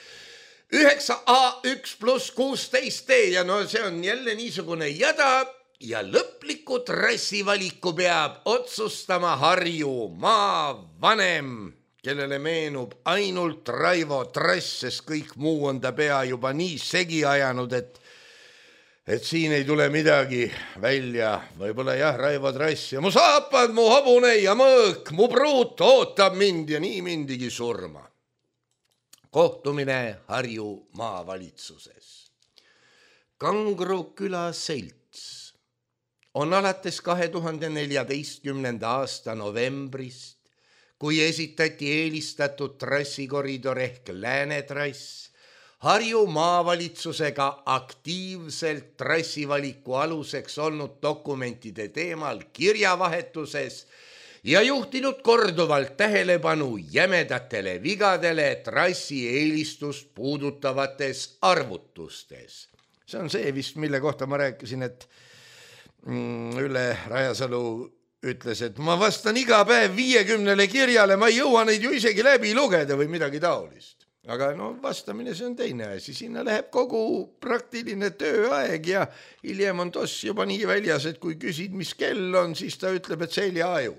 üheksa A üks pluss kuusteist D ja no see on jälle niisugune jada ja lõpliku trassivaliku peab otsustama Harju maavanem, kellele meenub ainult Raivo trass, sest kõik muu on ta pea juba nii segi ajanud, et et siin ei tule midagi välja. Võib-olla jah, Raivo trass ja mu saapad, mu hobune ja mõõk, mu pruut ootab mind ja nii mindigi surma. Kohtumine Harju maavalitsuses. Kangro küla selts on alates kahe tuhande neljateistkümnenda aasta novembrist, kui esitati eelistatud trassikoridor ehk läänetrass, Harju maavalitsusega aktiivselt trassivaliku aluseks olnud dokumentide teemal kirjavahetuses ja juhtinud korduvalt tähelepanu jämedatele vigadele trassi eelistust puudutavates arvutustes. See on see vist, mille kohta ma rääkisin, et Ülle Rajasalu ütles, et ma vastan iga päev viiekümnele kirjale, ma ei jõua neid ju isegi läbi lugeda või midagi taolist. Aga no vastamine see on teine asi, sinna läheb kogu praktiline tööaeg ja hiljem on toss juba nii väljas, et kui küsid, mis kell on, siis ta ütleb, et seljaaju.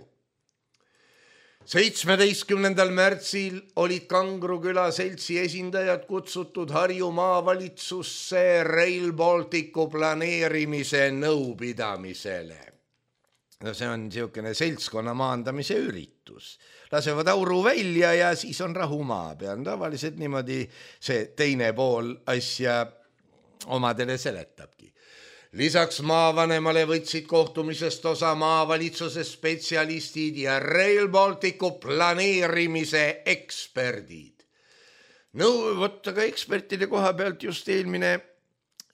seitsmeteistkümnendal märtsil olid Kangro küla seltsi esindajad kutsutud Harju maavalitsusse Rail Balticu planeerimise nõupidamisele. No see on niisugune seltskonna maandamise üritus. Lasevad auru välja ja siis on rahu maa peal. Tavaliselt niimoodi see teine pool asja omadele seletabki. Lisaks maavanemale võtsid kohtumisest osa maavalitsuse spetsialistid ja Rail Balticu planeerimise eksperdid. No võtta ka ekspertide koha pealt just eelmine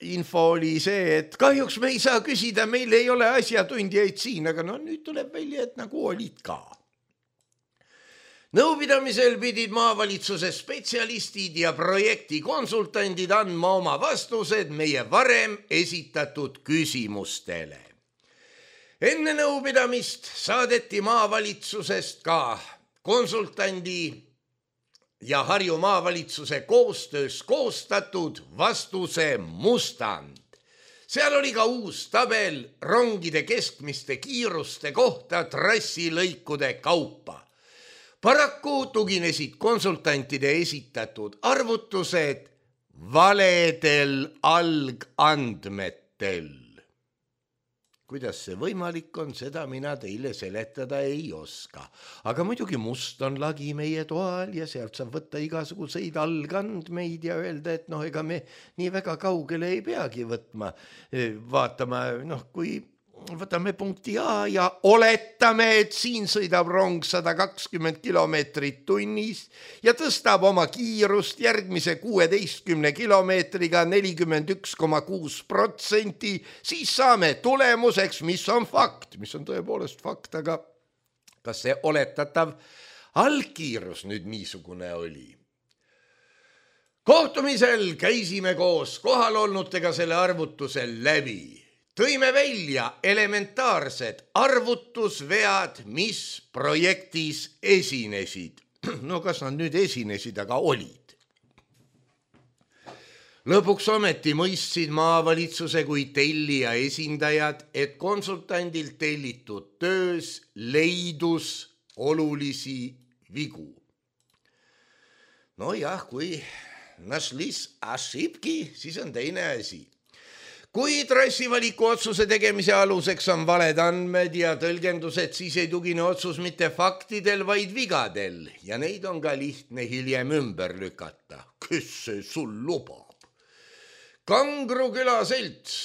info oli see, et kahjuks me ei saa küsida, meil ei ole asjatundjaid siin, aga no nüüd tuleb välja, et nagu olid ka. Nõupidamisel pidid maavalitsuse spetsialistid ja projekti konsultandid andma oma vastused meie varem esitatud küsimustele. Enne nõupidamist saadeti maavalitsusest ka konsultandi ja Harju maavalitsuse koostöös koostatud vastuse mustand. Seal oli ka uus tabel rongide keskmiste kiiruste kohta trassilõikude kaupa. Paraku tuginesid konsultantide esitatud arvutused valedel algandmetel. Kuidas see võimalik on, seda mina teile seletada ei oska. Aga muidugi must on lagi meie toal ja sealt saab võtta igasuguseid algandmeid ja öelda, et noh, ega me nii väga kaugele ei peagi võtma. Vaatama, noh, kui võtame punkti A ja oletame, et siin sõidab rong sada kakskümmend kilomeetrit tunnis ja tõstab oma kiirust järgmise kuueteistkümne kilomeetriga nelikümmend üks koma kuus protsenti, siis saame tulemuseks, mis on fakt, mis on tõepoolest fakt, aga kas see oletatav algkiirus nüüd niisugune oli? Kohtumisel käisime koos kohalolnutega selle arvutusel läbi. Tõime välja elementaarsed arvutusvead, mis projektis esinesid. No kas nad nüüd esinesid, aga olid. Lõpuks ometi mõistsid maavalitsuse kui tellija esindajad, et konsultandilt tellitud töös leidus olulisi vigu. No jah, kui našlis ошибки, siis on teine asi. Kui trassivaliku otsuse tegemise aluseks on valed andmed ja tõlgendused, siis ei tugine otsus mitte faktidel, vaid vigadel ja neid on ka lihtne hiljem ümber lükata. Kes see sul lubab? Kangro külaselts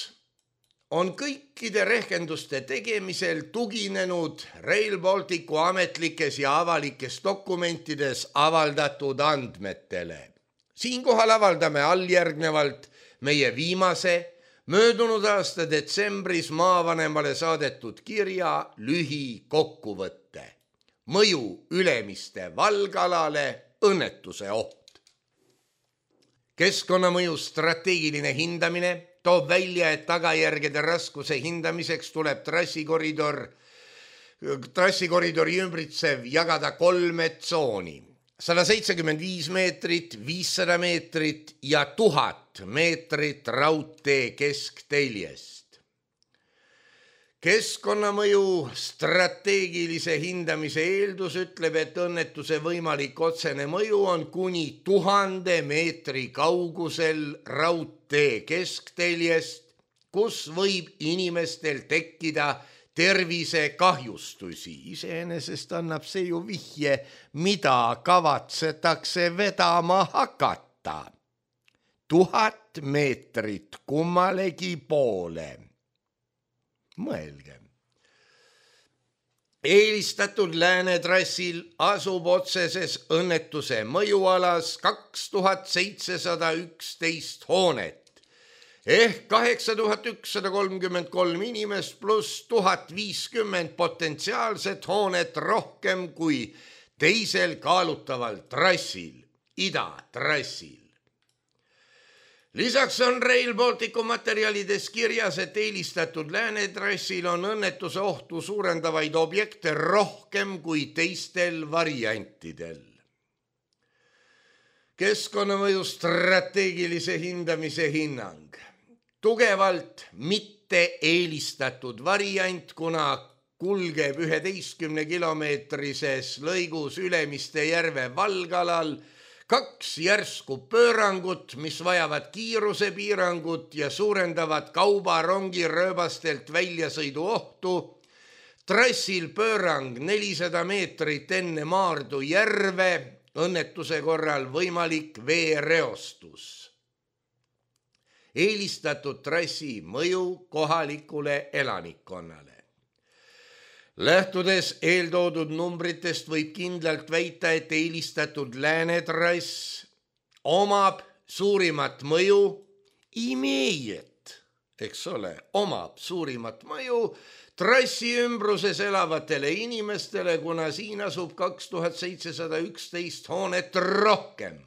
on kõikide rehkenduste tegemisel tuginenud Rail Balticu ametlikes ja avalikes dokumentides avaldatud andmetele. Siinkohal avaldame alljärgnevalt meie viimase möödunud aasta detsembris maavanemale saadetud kirja lühi kokkuvõtte. Mõju Ülemiste valgalale, õnnetuse oht. Keskkonnamõju strateegiline hindamine toob välja, et tagajärgede raskuse hindamiseks tuleb trassikoridor, trassikoridori ümbritsev jagada kolme tsooni. sada seitsekümmend viis meetrit, viissada meetrit ja tuhat meetrit raudtee keskteljest. Keskkonnamõju strateegilise hindamise eeldus ütleb, et õnnetuse võimalik otsene mõju on kuni tuhande meetri kaugusel raudtee keskteljest, kus võib inimestel tekkida tervisekahjustusi. Iseenesest annab see ju vihje, mida kavatsetakse vedama hakata. Tuhat meetrit kummalegi poole. Mõelge. Eelistatud läänetrassil asub otseses õnnetuse mõjualas kaks tuhat seitsesada üksteist hoonet. Ehk kaheksa tuhat ükssada kolmkümmend kolm inimest pluss tuhat viiskümmend potentsiaalset hoonet rohkem kui teisel kaalutaval trassil, idatrassil. Lisaks on Rail Balticu materjalides kirjas, et eelistatud läänetrassil on õnnetuse ohtu suurendavaid objekte rohkem kui teistel variantidel. Keskkonnamõju strateegilise hindamise hinnang. Tugevalt mitte eelistatud variant, kuna kulgeb üheteistkümne kilomeetrises lõigus Ülemiste järve valgalal kaks järsku pöörangut, mis vajavad kiirusepiirangut ja suurendavad kaubarongi rööbastelt väljasõidu ohtu. Trassil pöörang nelisada meetrit enne Maardu järve, õnnetuse korral võimalik veereostus. Eelistatud trassi mõju kohalikule elanikkonnale. Lähtudes eeltoodud numbritest võib kindlalt väita, et eelistatud läänetrass omab suurimat mõju imejet, eks ole, omab suurimat mõju trassi ümbruses elavatele inimestele, kuna siin asub kaks tuhat seitsesada üksteist hoonet rohkem.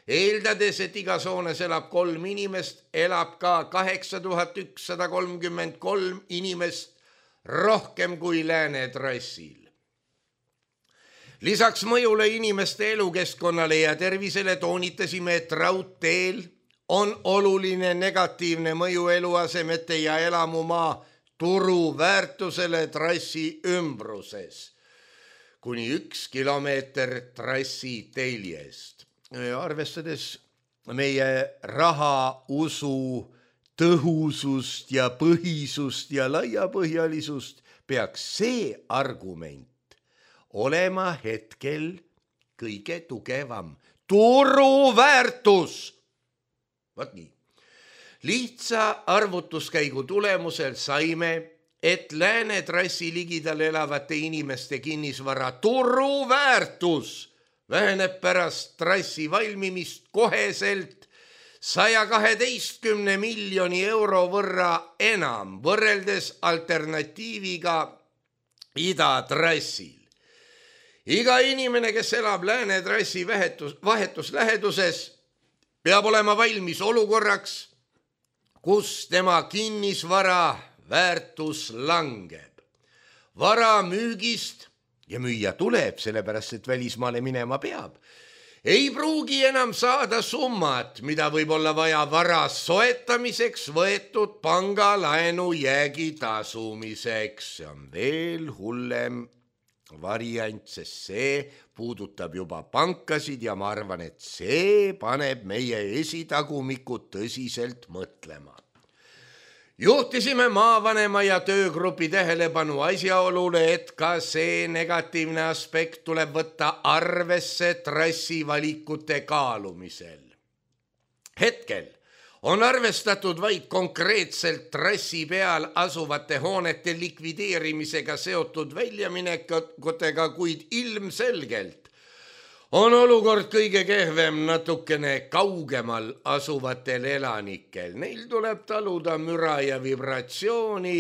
Eeldades, et igas hoones elab kolm inimest, elab ka kaheksa tuhat ükssada kolmkümmend kolm inimest rohkem kui Lääne trassil. Lisaks mõjule inimeste elukeskkonnale ja tervisele toonitasime, et raudteel on oluline negatiivne mõju eluasemete ja elamumaa turuväärtusele trassi ümbruses. Kuni üks kilomeeter trassi teljest. Arvestades meie raha, usu, tõhusust ja põhisust ja laiapõhjalisust, peaks see argument olema hetkel kõige tugevam. Turuväärtus! Vaat nii. Lihtsa arvutuskäigu tulemusel saime, et Lääne trassi ligidal elavate inimeste kinnisvara turuväärtus väheneb pärast trassi valmimist koheselt saja kaheteistkümne miljoni euro võrra enam võrreldes alternatiiviga idatrassil. Iga inimene, kes elab Lääne trassi vahetus, vahetusläheduses, peab olema valmis olukorraks, kus tema kinnisvara väärtus langeb. Vara müügist ja müüa tuleb, sellepärast et välismaale minema peab. Ei pruugi enam saada summat, mida võib olla vaja vara soetamiseks võetud pangalaenu jäägi tasumiseks. See on veel hullem variant, sest see puudutab juba pankasid ja ma arvan, et see paneb meie esitagumikud tõsiselt mõtlema. Juhtisime maavanema ja töögrupi tähelepanu asjaolule, et ka see negatiivne aspekt tuleb võtta arvesse trassi valikute kaalumisel. Hetkel on arvestatud vaid konkreetselt trassi peal asuvate hoonete likvideerimisega seotud väljaminekutega, kuid ilmselgelt on olukord kõige kehvem natukene kaugemal asuvatel elanikel. Neil tuleb taluda müra ja vibratsiooni,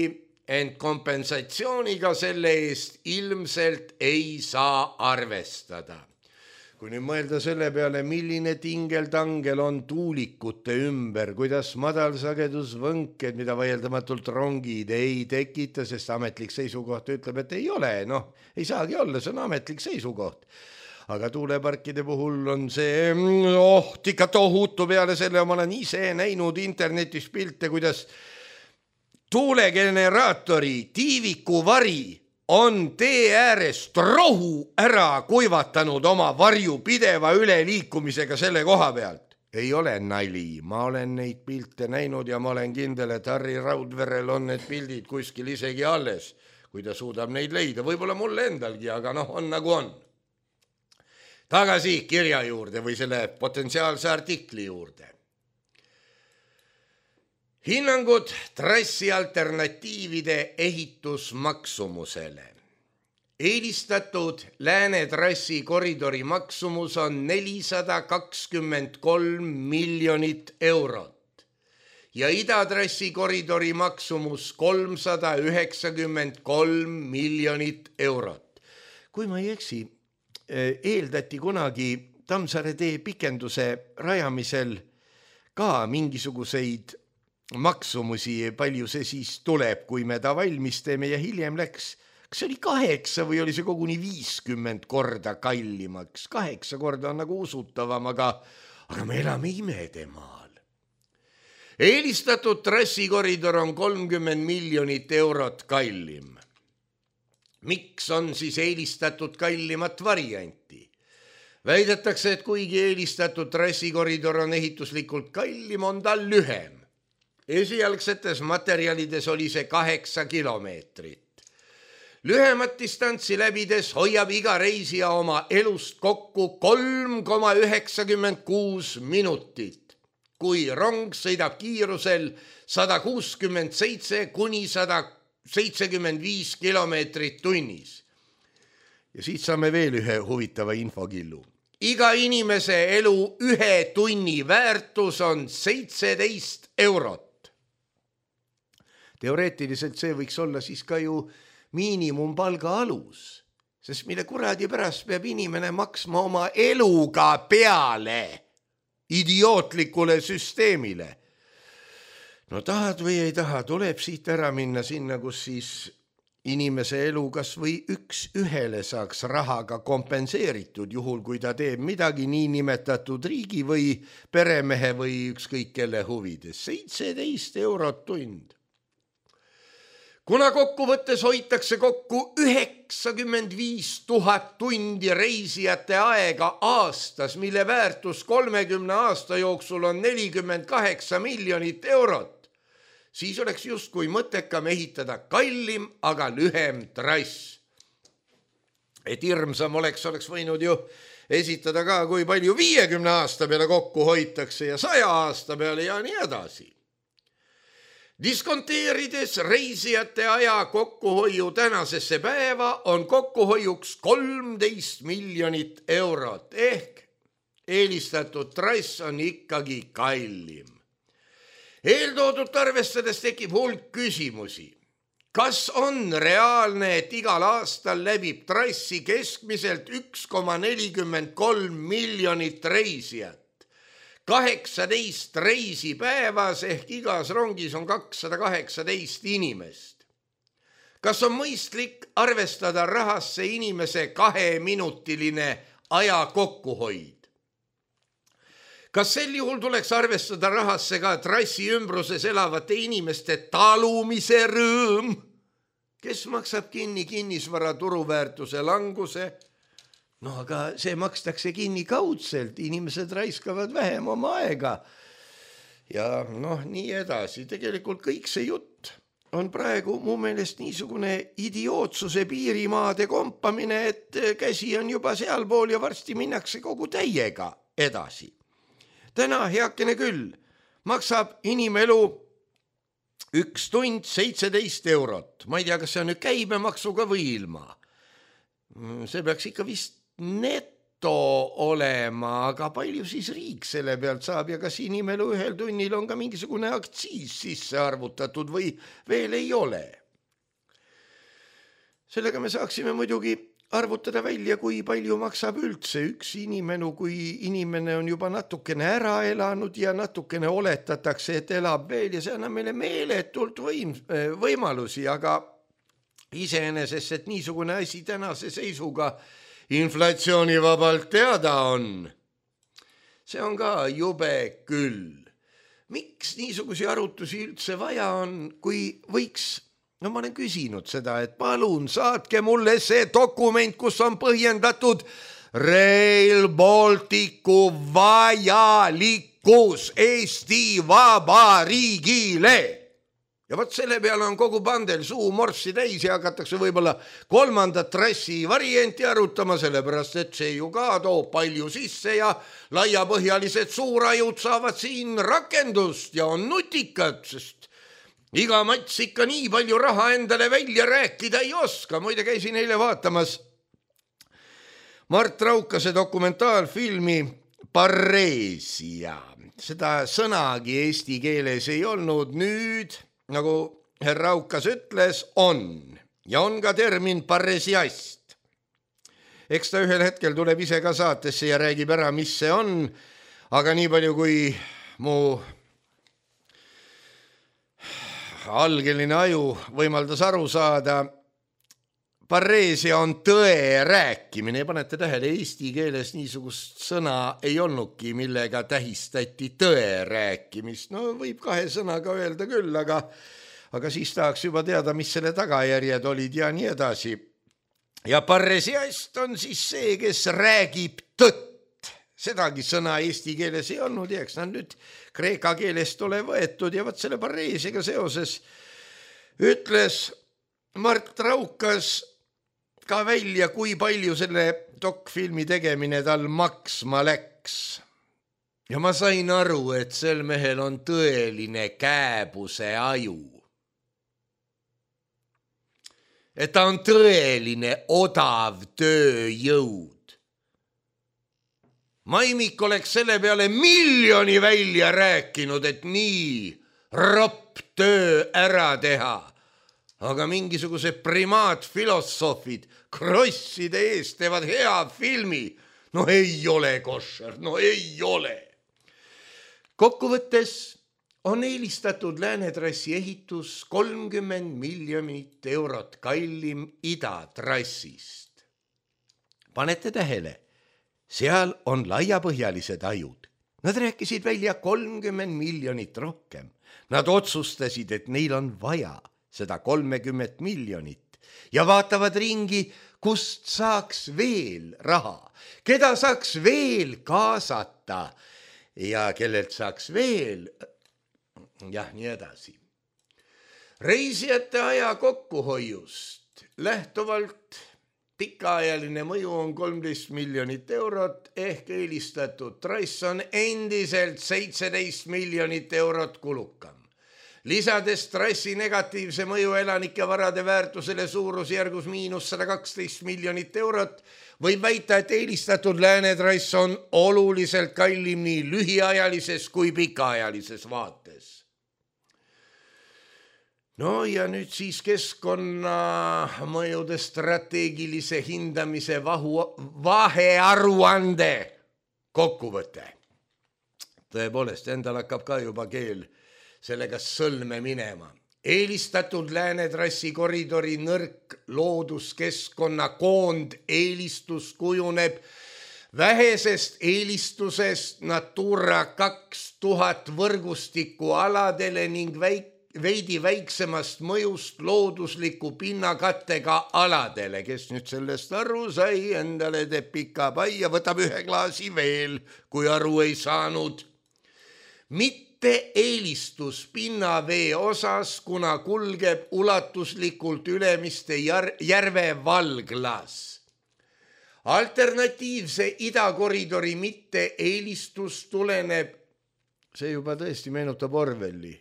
ent kompensatsiooniga selle eest ilmselt ei saa arvestada. Kui nüüd mõelda selle peale, milline tingeltangel on tuulikute ümber, kuidas madalsagedusvõnked, mida vaieldamatult rongid ei tekita, sest ametlik seisukoht ütleb, et ei ole, noh, ei saagi olla, see on ametlik seisukoht. Aga tuuleparkide puhul on see oht ikka tohutu, peale selle ma olen ise näinud internetis pilte, kuidas tuulegeneraatori tiivikuvari on tee äärest rohu ära kuivatanud oma varju pideva üleliikumisega selle koha pealt. Ei ole nali, ma olen neid pilte näinud ja ma olen kindel, et Harri Raudverel on need pildid kuskil isegi alles, kui ta suudab neid leida. Võib-olla mulle endalgi, aga noh, on nagu on. Tagasi kirja juurde või selle potentsiaalse artikli juurde. Hinnangud trassi alternatiivide ehitusmaksumusele. Eelistatud Lääne trassi koridori maksumus on nelisada kakskümmend kolm miljonit eurot ja idatrassi koridori maksumus kolmsada üheksakümmend kolm miljonit eurot. Kui ma ei eksi, eeldati kunagi Tammsaare tee pikenduse rajamisel ka mingisuguseid maksumusi, palju see siis tuleb, kui me ta valmis teeme, ja hiljem läks, kas see oli kaheksa või oli see koguni viiskümmend korda kallimaks. Kaheksa korda on nagu usutavam, aga, aga me elame imedemaal. Eelistatud trassikoridor on kolmkümmend miljonit eurot kallim. Miks on siis eelistatud kallimat varianti? Väidetakse, et kuigi eelistatud trassikoridor on ehituslikult kallim, on ta lühem. Esialgsetes materjalides oli see kaheksa kilomeetrit. Lühemat distantsi läbides hoiab iga reisija oma elust kokku kolm koma üheksakümmend kuus minutit, kui rong sõidab kiirusel sada kuuskümmend seitse kuni sada seitsekümmend viis kilomeetrit tunnis. Ja siit saame veel ühe huvitava infokillu. iga inimese elu ühe tunni väärtus on seitseteist eurot. Teoreetiliselt see võiks olla siis ka ju miinimumpalga alus, sest mille kuradi pärast peab inimene maksma oma eluga peale idiootlikule süsteemile. No tahad või ei taha, tuleb siit ära minna sinna, kus siis inimese elu kas või üks ühele saaks rahaga kompenseeritud, juhul kui ta teeb midagi niinimetatud riigi või peremehe või ükskõik kelle huvides. seitseteist eurot tund. Kuna kokkuvõttes hoitakse kokku üheksakümmend viis tuhat tundi reisijate aega aastas, mille väärtus kolmekümne aasta jooksul on nelikümmend kaheksa miljonit eurot, siis oleks justkui mõttekam ehitada kallim, aga lühem trass. Et hirmsam oleks, oleks võinud ju esitada ka, kui palju viiekümne aasta peale kokku hoitakse ja saja aasta peale ja nii edasi. Diskonteerides reisijate aja kokkuhoiu tänasesse päeva on kokkuhoiuks kolmteist miljonit eurot ehk eelistatud trass on ikkagi kallim. Eeltoodut arvestades tekib hulk küsimusi. Kas on reaalne, et igal aastal läbib trassi keskmiselt üks koma nelikümmend kolm miljonit reisijat? kaheksateist reisi päevas ehk igas rongis on kakssada kaheksateist inimest. Kas on mõistlik arvestada rahasse inimese kaheminutiline aja kokkuhoid? Kas sel juhul tuleks arvestada rahasse ka trassi ümbruses elavate inimeste talumise rõõm, kes maksab kinni kinnisvara turuväärtuse languse? No aga see makstakse kinni kaudselt, inimesed raiskavad vähem oma aega. Ja noh, nii edasi. Tegelikult kõik see jutt on praegu mu meelest niisugune idiootsuse piirimaade kompamine, et käsi on juba sealpool ja varsti minnakse kogu täiega edasi. Täna, heakene küll, maksab inimelu üks tund seitseteist eurot. Ma ei tea, kas see on nüüd käibemaksuga või ilma. See peaks ikka vist neto olema, aga palju siis riik selle pealt saab ja kas inimelu ühel tunnil on ka mingisugune aktsiis sisse arvutatud või veel ei ole. Sellega me saaksime muidugi arvutada välja, kui palju maksab üldse üks inimene, kui inimene on juba natukene ära elanud ja natukene oletatakse, et elab veel ja see annab meile meeletult võim, võimalusi, aga iseenesest, et niisugune asi tänase seisuga inflatsioonivabalt teada on. See on ka jube küll. Miks niisugusi arutusi üldse vaja on, kui võiks, no ma olen küsinud seda, et palun saatke mulle see dokument, kus on põhjendatud Rail Balticu vajalikkus Eesti Vabariigile. Ja võt selle peale on kogu pandel suu morssi täis ja hakatakse võib-olla kolmandat trassi varianti arutama, sellepärast et see ju ka toob palju sisse ja laiapõhjalised suurajud saavad siin rakendust ja on nutikad, sest iga mats ikka nii palju raha endale välja rääkida ei oska. Muide käisin eile vaatamas Mart Raukase dokumentaalfilmi Pareesia. Seda sõnagi eesti keeles ei olnud, nüüd nagu herra Raukas ütles, on. Ja on ka termin paresiast. Eks ta ühel hetkel tuleb ise ka saatesse ja räägib ära, mis see on. Aga nii palju, kui mu algeline aju võimaldas aru saada, pareesia on tõe rääkimine. Ja panete tähele, eesti keeles niisugust sõna ei olnudki, millega tähistati tõe rääkimist. No võib kahe sõnaga öelda küll, aga, aga siis tahaks juba teada, mis selle tagajärjed olid ja nii edasi. Ja paresiast on siis see, kes räägib tõtt. Sedagi sõna eesti keeles ei olnud, eks nad nüüd kreeka keelest ole võetud ja võt selle pareesiga seoses ütles Mart Raukas ka välja, kui palju selle dokfilmi tegemine tal maksma läks. Ja ma sain aru, et sel mehel on tõeline kääbuse aju. Et ta on tõeline odav tööjõud. Maimik oleks selle peale miljoni välja rääkinud, et nii ropp töö ära teha. Aga mingisugused primaatfilosoofid krosside eest teevad hea filmi. No ei ole koššer, no ei ole. Kokkuvõttes on eelistatud Läänetrassi ehitus kolmkümmend miljonit eurot kallim idatrassist. Panete tähele, seal on laiapõhjalised ajud. Nad rääkisid välja kolmkümmend miljonit rohkem. Nad otsustasid, et neil on vaja seda kolmekümmet miljonit ja vaatavad ringi, kust saaks veel raha, keda saaks veel kaasata ja kellelt saaks veel, jah, nii edasi. Reisijate aja kokkuhoiust lähtuvalt pikaajaline mõju on kolmteist miljonit eurot ehk eelistatud trass on endiselt seitseteist miljonit eurot kulukam. Lisades trassi negatiivse mõju elanike varade väärtusele suurusjärgus miinus sada kaksteist miljonit eurot, võib väita, et eelistatud Läänetrass on oluliselt kallim nii lühiajalises kui pikaajalises vaates. No ja nüüd siis keskkonnamõjude strateegilise hindamise vahu, vahearuande kokkuvõte. Tõepoolest, endal hakkab ka juba keel sellega sõlme minema. Eelistatud Läänetrassi koridori nõrk looduskeskkonna koond eelistus kujuneb vähesest eelistusest Natura kaks tuhat võrgustiku aladele ning väik, veidi väiksemast mõjust loodusliku pinnakattega aladele. Kes nüüd sellest aru sai, endale teeb pika pai ja võtab ühe klaasi veel, kui aru ei saanud. Mitte eelistus pinnavee osas, kuna kulgeb ulatuslikult Ülemiste järve valglas. Alternatiivse idakoridori mitte eelistus tuleneb, see juba tõesti meenutab Orwelli,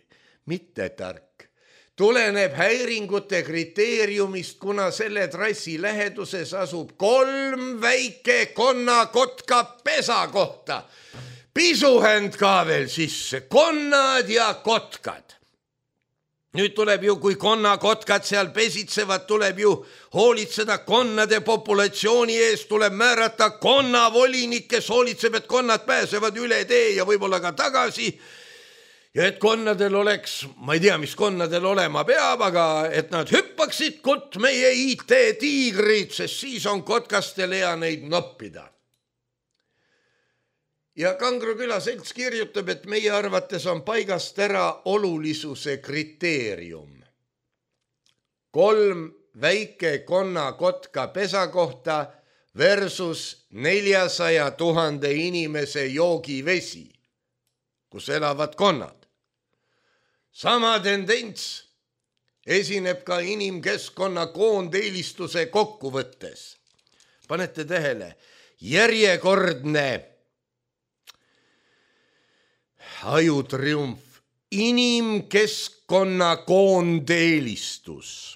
mitte tark, tuleneb häiringute kriteeriumist, kuna selle trassi läheduses asub kolm väike konnakotka pesa kohta. Pisuhänd ka veel sisse, konnad ja kotkad. Nüüd tuleb ju, kui konnakotkad seal pesitsevad, tuleb ju hoolitseda konnade populatsiooni eest, tuleb määrata konnavolinik, kes hoolitseb, et konnad pääsevad üle tee ja võib-olla ka tagasi. Ja et konnadel oleks, ma ei tea, mis konnadel olema peab, aga et nad hüppaksid kutt meie I T-tiigrid, sest siis on kotkastel hea neid noppida. Ja Kangro küla selts kirjutab, et meie arvates on paigast ära olulisuse kriteerium. Kolm väike konnakotka pesa kohta versus neljasaja tuhande inimese joogivesi, kus elavad konnad. Sama tendents esineb ka inimkeskkonna koondeelistuse kokkuvõttes. Panete tähele, järjekordne ajutriumf, inimkeskkonna koondeelistus.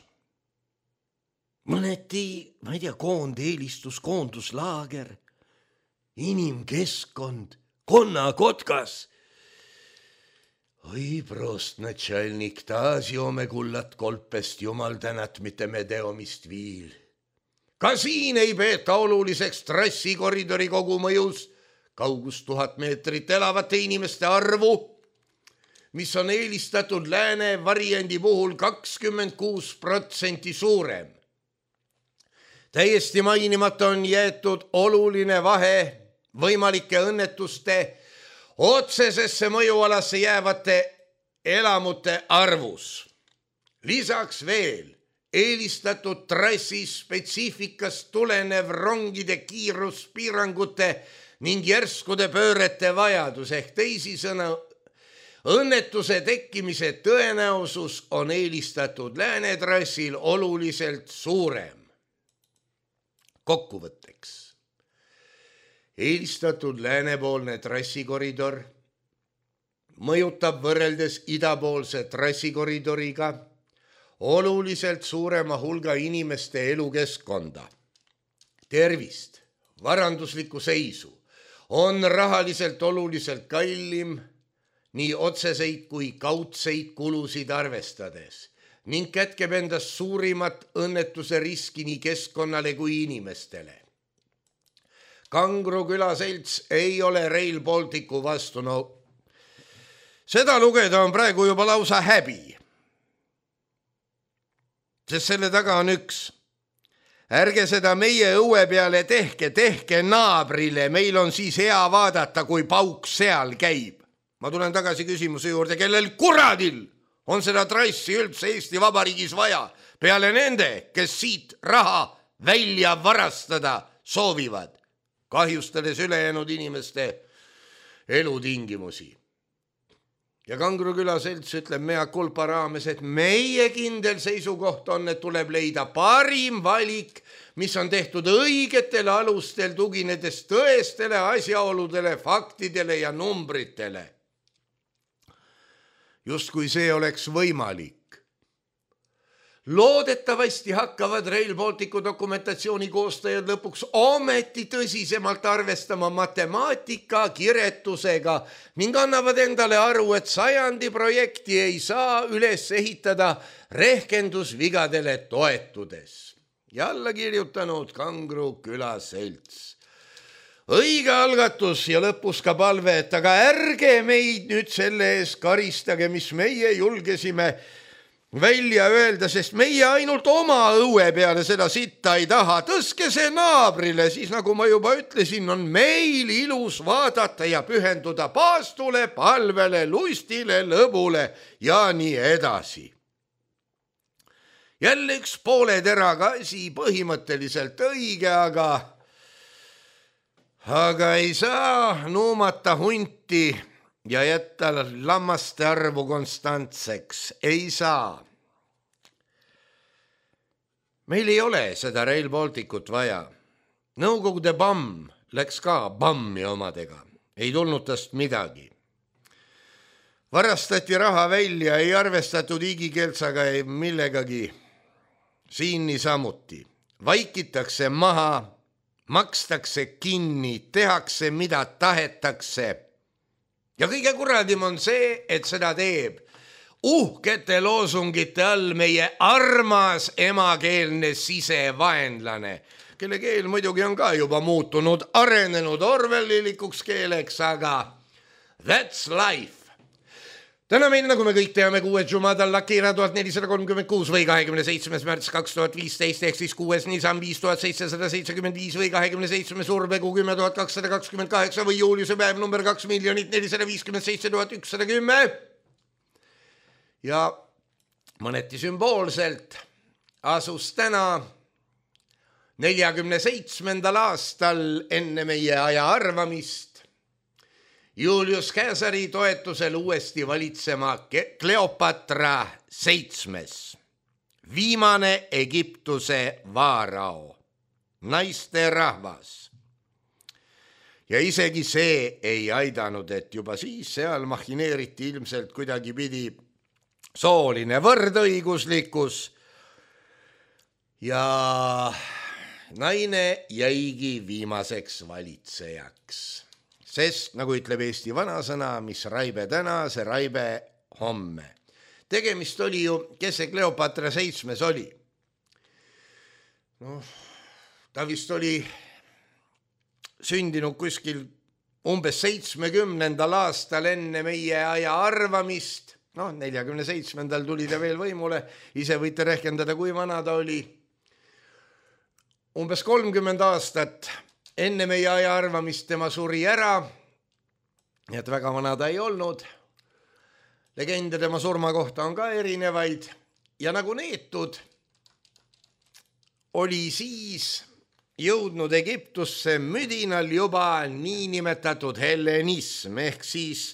Mõneti, ma ei tea, koondeelistus, koonduslaager, inimkeskkond, konnakotkas. Oi, prost natšalnik, taas joome kullat kolpest, jumal tänat, mitte me teomist viil. Ka siin ei peeta oluliseks trassikoridori kogumõjus kaugus tuhat meetrit elavate inimeste arvu, mis on eelistatud lääne variandi puhul kakskümmend kuus protsenti suurem. Täiesti mainimata on jäetud oluline vahe võimalike õnnetuste otsesesse mõjualasse jäävate elamute arvus. Lisaks veel eelistatud trassi spetsiifikast tulenev rongide kiiruspiirangute ning järskude pöörete vajadus ehk teisisõna õnnetuse tekkimise tõenäosus on eelistatud Läänetrassil oluliselt suurem. Kokkuvõtteks. Eelistatud läänepoolne trassikoridor mõjutab võrreldes idapoolse trassikoridoriga oluliselt suurema hulga inimeste elukeskkonda, tervist, varanduslikku seisu, on rahaliselt oluliselt kallim nii otseseid kui kaudseid kulusid arvestades ning kätkeb endas suurimat õnnetuse riski nii keskkonnale kui inimestele. Kangro külaselts ei ole Rail Balticu vastu, no seda lugeda on praegu juba lausa häbi. Sest selle taga on üks. Ärge seda meie õue peale tehke, tehke naabrile, meil on siis hea vaadata, kui pauk seal käib. Ma tulen tagasi küsimuse juurde, kellel kuradil on seda trassi üldse Eesti Vabariigis vaja, peale nende, kes siit raha välja varastada soovivad, kahjustades ülejäänud inimeste elutingimusi. Ja Kangro külaselts ütleb mea kulpa raames, et meie kindel seisukoht on, et tuleb leida parim valik, mis on tehtud õigetele alustel, tuginedes tõestele asjaoludele, faktidele ja numbritele. Just kui see oleks võimalik. Loodetavasti hakkavad Rail Balticu dokumentatsiooni koostajad lõpuks ometi tõsisemalt arvestama matemaatika kiretusega ning annavad endale aru, et sajandi projekti ei saa üles ehitada rehkendusvigadele toetudes. Ja alla kirjutanud Kangro külaselts. Õige algatus ja lõpus ka palve, et aga ärge meid nüüd selle ees karistage, mis meie julgesime välja öelda, sest meie ainult oma õue peale seda sitta ei taha. Tõske see naabrile, siis nagu ma juba ütlesin, on meil ilus vaadata ja pühenduda paastule, palvele, lustile, lõbule ja nii edasi. Jälle üks poole teraga asi, põhimõtteliselt õige, aga... Aga ei saa nuumata hunti ja jätta lammaste arvu konstantseks. Ei saa. Meil ei ole seda Rail Balticut vaja. Nõukogude bamm läks ka bammi omadega. Ei tulnud tast midagi. Varastati raha välja, ei arvestatud igikeeltsaga millegagi. Siin niisamuti. Vaikitakse maha. Makstakse kinni, tehakse mida tahetakse. Ja kõige kuradim on see, et seda teeb uhkete loosungite all meie armas emakeelne sisevaenlane, kelle keel muidugi on ka juba muutunud arenenud orwellilikuks keeleks, aga that's life. Täna meil, nagu me kõik teame, kuues Jumadal Lakira tuhat nelisada kolmkümmend kuus või kahekümne seitsmes märts kaks tuhat viisteist ehk siis kuues Nissan viis tuhat seitsesada seitsekümmend viis või kahekümne seitsmes Urbegu kümme tuhat kakssada kakskümmend kaheksa või Juuliuse päev number kaks miljonit nelisada viiskümmend seitse tuhat ükssada kümme. Ja mõneti sümboolselt asus täna neljakümne seitsmendal aastal enne meie aja arvamist Julius Caesari toetusel uuesti valitsema Kleopatra seitsmes, viimane Egiptuse vaarao, naiste rahvas. Ja isegi see ei aidanud, et juba siis seal mahineeriti ilmselt kuidagi pidi sooline võrdõiguslikkus ja naine jäigi viimaseks valitsejaks. Sest, nagu ütleb Eesti vanasõna, mis raibe täna, see raibe homme. Tegemist oli ju, kes see Kleopatra seitsmes oli? No, ta vist oli sündinud kuskil umbes seitsmekümnendal aastal enne meie aja arvamist. No, neljakümne seitsmendal tuli ta veel võimule. Ise võite rehkendada, kui vana ta oli. Umbes kolmkümmend aastat enne meie aja arvamist tema suri ära, nii et väga vana ta ei olnud. Legende tema surma kohta on ka erinevaid ja nagu neetud oli siis jõudnud Egiptusse müdinal juba niinimetatud hellenism ehk siis,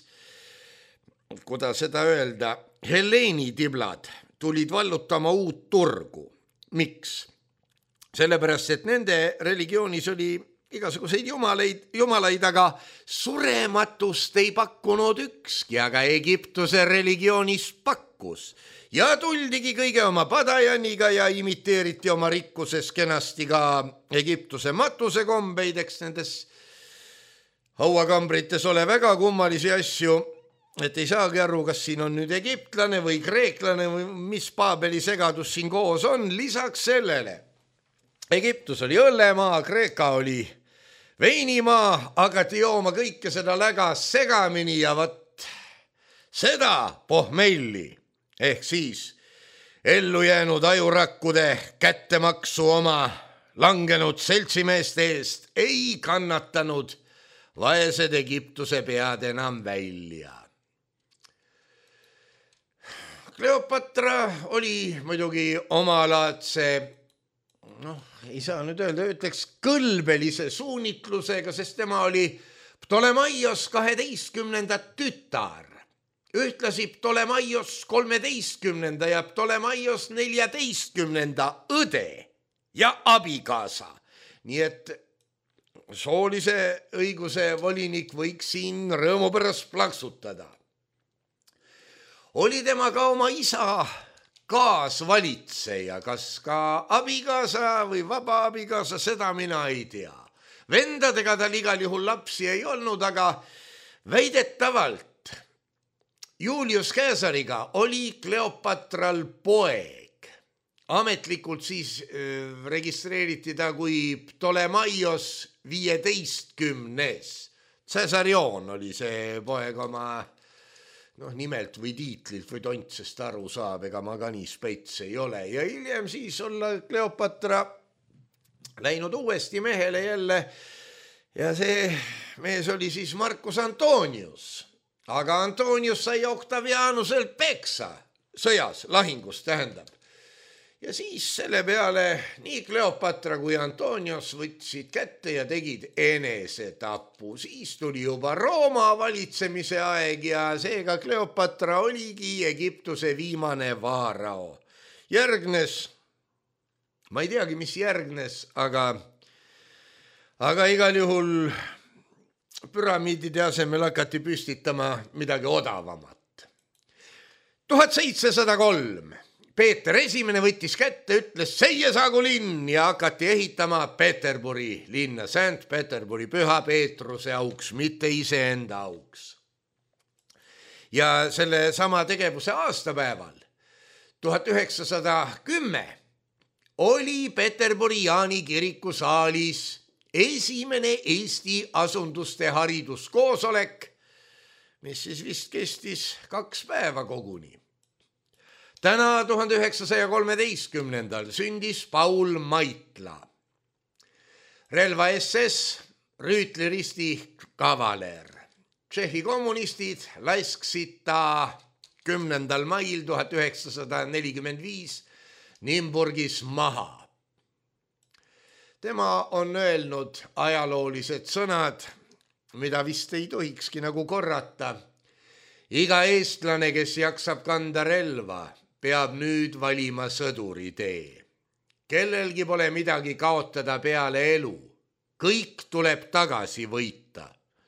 kuidas seda öelda, Helleeni tiblad tulid vallutama uut turgu. Miks? Sellepärast, et nende religioonis oli igasuguseid jumalaid, jumalaid, aga surematust ei pakkunud ükski, aga Egiptuse religioonis pakkus. Ja tuldigi kõige oma padajaniga ja imiteeriti oma rikkuses kenasti ka Egiptuse matusekombeid, eks nendes hauakambrites ole väga kummalisi asju, et ei saagi aru, kas siin on nüüd egiptlane või kreeklane või mis Paabeli segadus siin koos on. Lisaks sellele Egiptus oli õllemaa, Kreeka oli veinimaa, hakati jooma kõike seda läga segamini ja vat seda pohmelli ehk siis ellu jäänud ajurakkude kättemaksu oma langenud seltsimeeste eest ei kannatanud vaesed Egiptuse pead enam välja. Kleopatra oli muidugi omalaadse, noh, ei saa nüüd öelda, ütleks kõlbelise suunitlusega, sest tema oli Ptolemaios kaheteistkümnenda tütar, ühtlasi Ptolemaios kolmeteistkümnenda ja Ptolemaios neljateistkümnenda õde ja abikaasa. Nii et soolise õiguse volinik võiks siin rõõmu pärast plaksutada. Oli tema ka oma isa kaasvalitseja, kas ka abikaasa või vaba abikaasa, seda mina ei tea. Vendadega tal igal juhul lapsi ei olnud, aga väidetavalt Julius Caesariga oli Kleopatral poeg. Ametlikult siis äh, registreeriti ta kui Ptolemaios viieteistkümnes. Caesarion oli see poeg oma noh, nimelt või tiitlilt või tontsest aru saab, ega ma ka nii spets ei ole. Ja hiljem siis olla Kleopatra läinud uuesti mehele jälle ja see mees oli siis Marcus Antonius. Aga Antonius sai Octavianuselt peksa sõjas, lahingus tähendab. Ja siis selle peale nii Kleopatra kui Antonius võtsid kätte ja tegid enesetapu. Siis tuli juba Rooma valitsemise aeg ja seega Kleopatra oligi Egiptuse viimane vaarao. Järgnes, ma ei teagi, mis järgnes, aga, aga igal juhul püramiidide asemel hakati püstitama midagi odavamat. tuhat seitsesada kolm Peeter Esimene võttis kätte, ütles seie saagu linn ja hakati ehitama Peterburi linna, Saint Peterburi, Püha Peetruse auks, mitte iseenda auks. Ja selle sama tegevuse aastapäeval, tuhat üheksasada kümme, oli Peterburi Jaani kiriku saalis esimene Eesti asunduste hariduskoosolek, mis siis vist kestis kaks päeva koguni. Täna tuhande üheksasaja kolmeteistkümnendal sündis Paul Maitla. Relva S S, rüütliristi kavaler. Tšehhi kommunistid lasksid ta kümnendal mail tuhat üheksasada nelikümmend viis Nimburgis maha. Tema on öelnud ajaloolised sõnad, mida vist ei tohikski nagu korrata. Iga eestlane, kes jaksab kanda relva, peab nüüd valima sõduri tee. Kellelgi pole midagi kaotada peale elu. Kõik tuleb tagasi võita.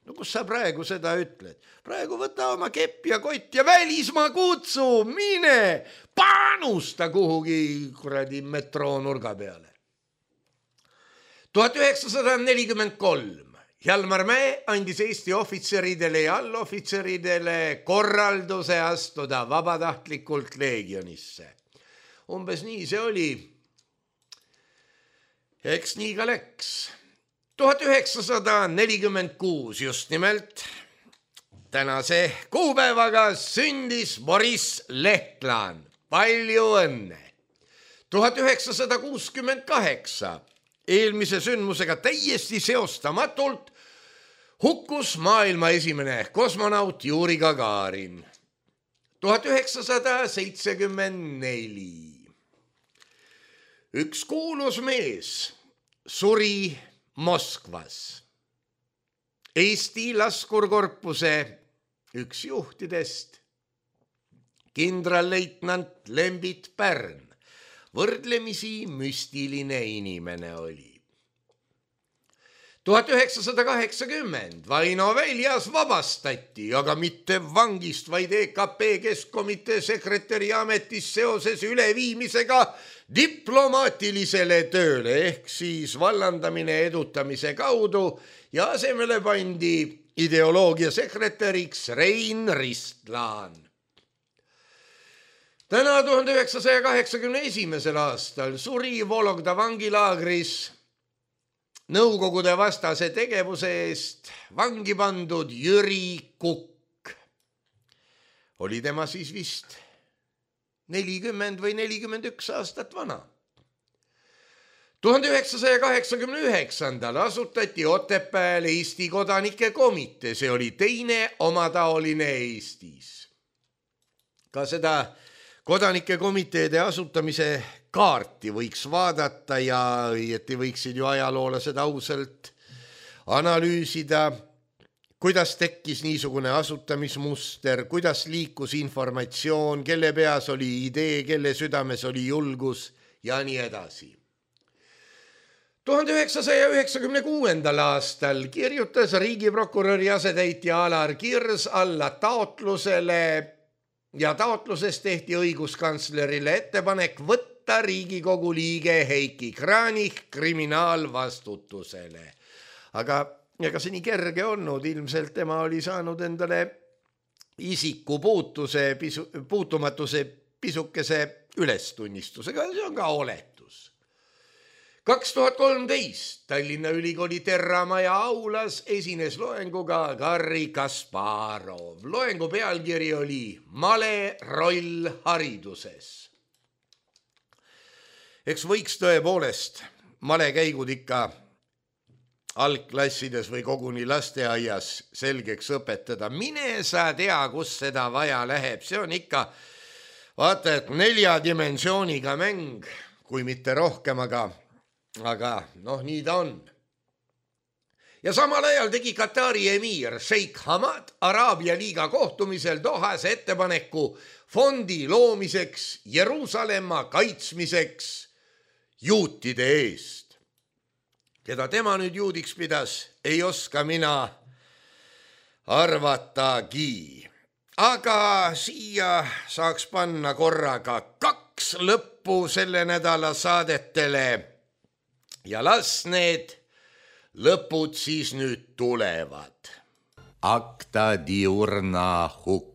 No kus sa praegu seda ütled? Praegu võta oma kepp ja kott ja välismaa kutsu, mine, panusta kuhugi kuradi metroo nurga peale. tuhat üheksasada nelikümmend kolm Hjalmar Mäe andis Eesti ohvitseridele ja allohvitseridele korralduse astuda vabatahtlikult leegionisse. Umbes nii see oli. Eks nii ka läks. tuhat üheksasada nelikümmend kuus just nimelt tänase kuupäevaga sündis Boris Lehtlan. Palju õnne. tuhat üheksasada kuuskümmend kaheksa eelmise sündmusega täiesti seostamatult hukkus maailma esimene kosmonaut Juri Gagarin. tuhat üheksasada seitsekümmend neli Üks kuulus mees suri Moskvas. Eesti laskurkorpuse üks juhtidest, kindralleitnant Lembit Pärn, võrdlemisi müstiline inimene oli. tuhat üheksasada kaheksakümmend Vaino Väljas vabastati, aga mitte vangist, vaid E K P Keskkomitee sekretäri ametis seoses üleviimisega diplomaatilisele tööle ehk siis vallandamine edutamise kaudu ja asemele pandi ideoloogia sekretäriks Rein Ristlaan. Täna tuhande üheksasaja kaheksakümne esimesel aastal suri Vologda vangilaagris Nõukogude vastase tegevuse eest vangi pandud Jüri Kukk. Oli tema siis vist nelikümmend või nelikümmend üks aastat vana. tuhande üheksasaja kaheksakümne üheksandal asutati Otepääl Eesti kodanike komitee, see oli teine omataoline Eestis. Ka seda kodanike komiteede asutamise kaarti võiks vaadata ja õieti võiksid ju ajaloolased ausalt analüüsida, kuidas tekkis niisugune asutamismuster, kuidas liikus informatsioon, kelle peas oli idee, kelle südames oli julgus ja nii edasi. tuhande üheksasaja üheksakümne kuuendal aastal kirjutas riigiprokuröri asetäitja Alar Kirs alla taotlusele ja taotluses tehti õiguskantslerile ettepanek võtta Riigikogu liige Heiki Kranich kriminaalvastutusele. Aga ega see nii kerge olnud, ilmselt tema oli saanud endale isiku puutuse, pisu, puutumatuse pisukese ülestunnistusega, see on ka oletus. kaks tuhat kolmteist Tallinna Ülikooli Terramaja aulas esines loenguga Garri Kasparov. Loengu pealkiri oli Male roll hariduses. Eks võiks tõepoolest malekäigud ikka algklassides või koguni lasteaias selgeks õpetada. Mine sa tea, kus seda vaja läheb. See on ikka, vaata, et nelja dimensiooniga mäng, kui mitte rohkem, aga aga noh, nii ta on. Ja samal ajal tegi Katari emir Sheikh Hamad Araabia liiga kohtumisel Dohas ettepaneku fondi loomiseks Jeruusalemma kaitsmiseks juutide eest. Keda tema nüüd juudiks pidas, ei oska mina arvatagi. Aga siia saaks panna korraga kaks lõppu selle nädala saadetele. Ja las need lõpud siis nüüd tulevad. Acta diurna hukk.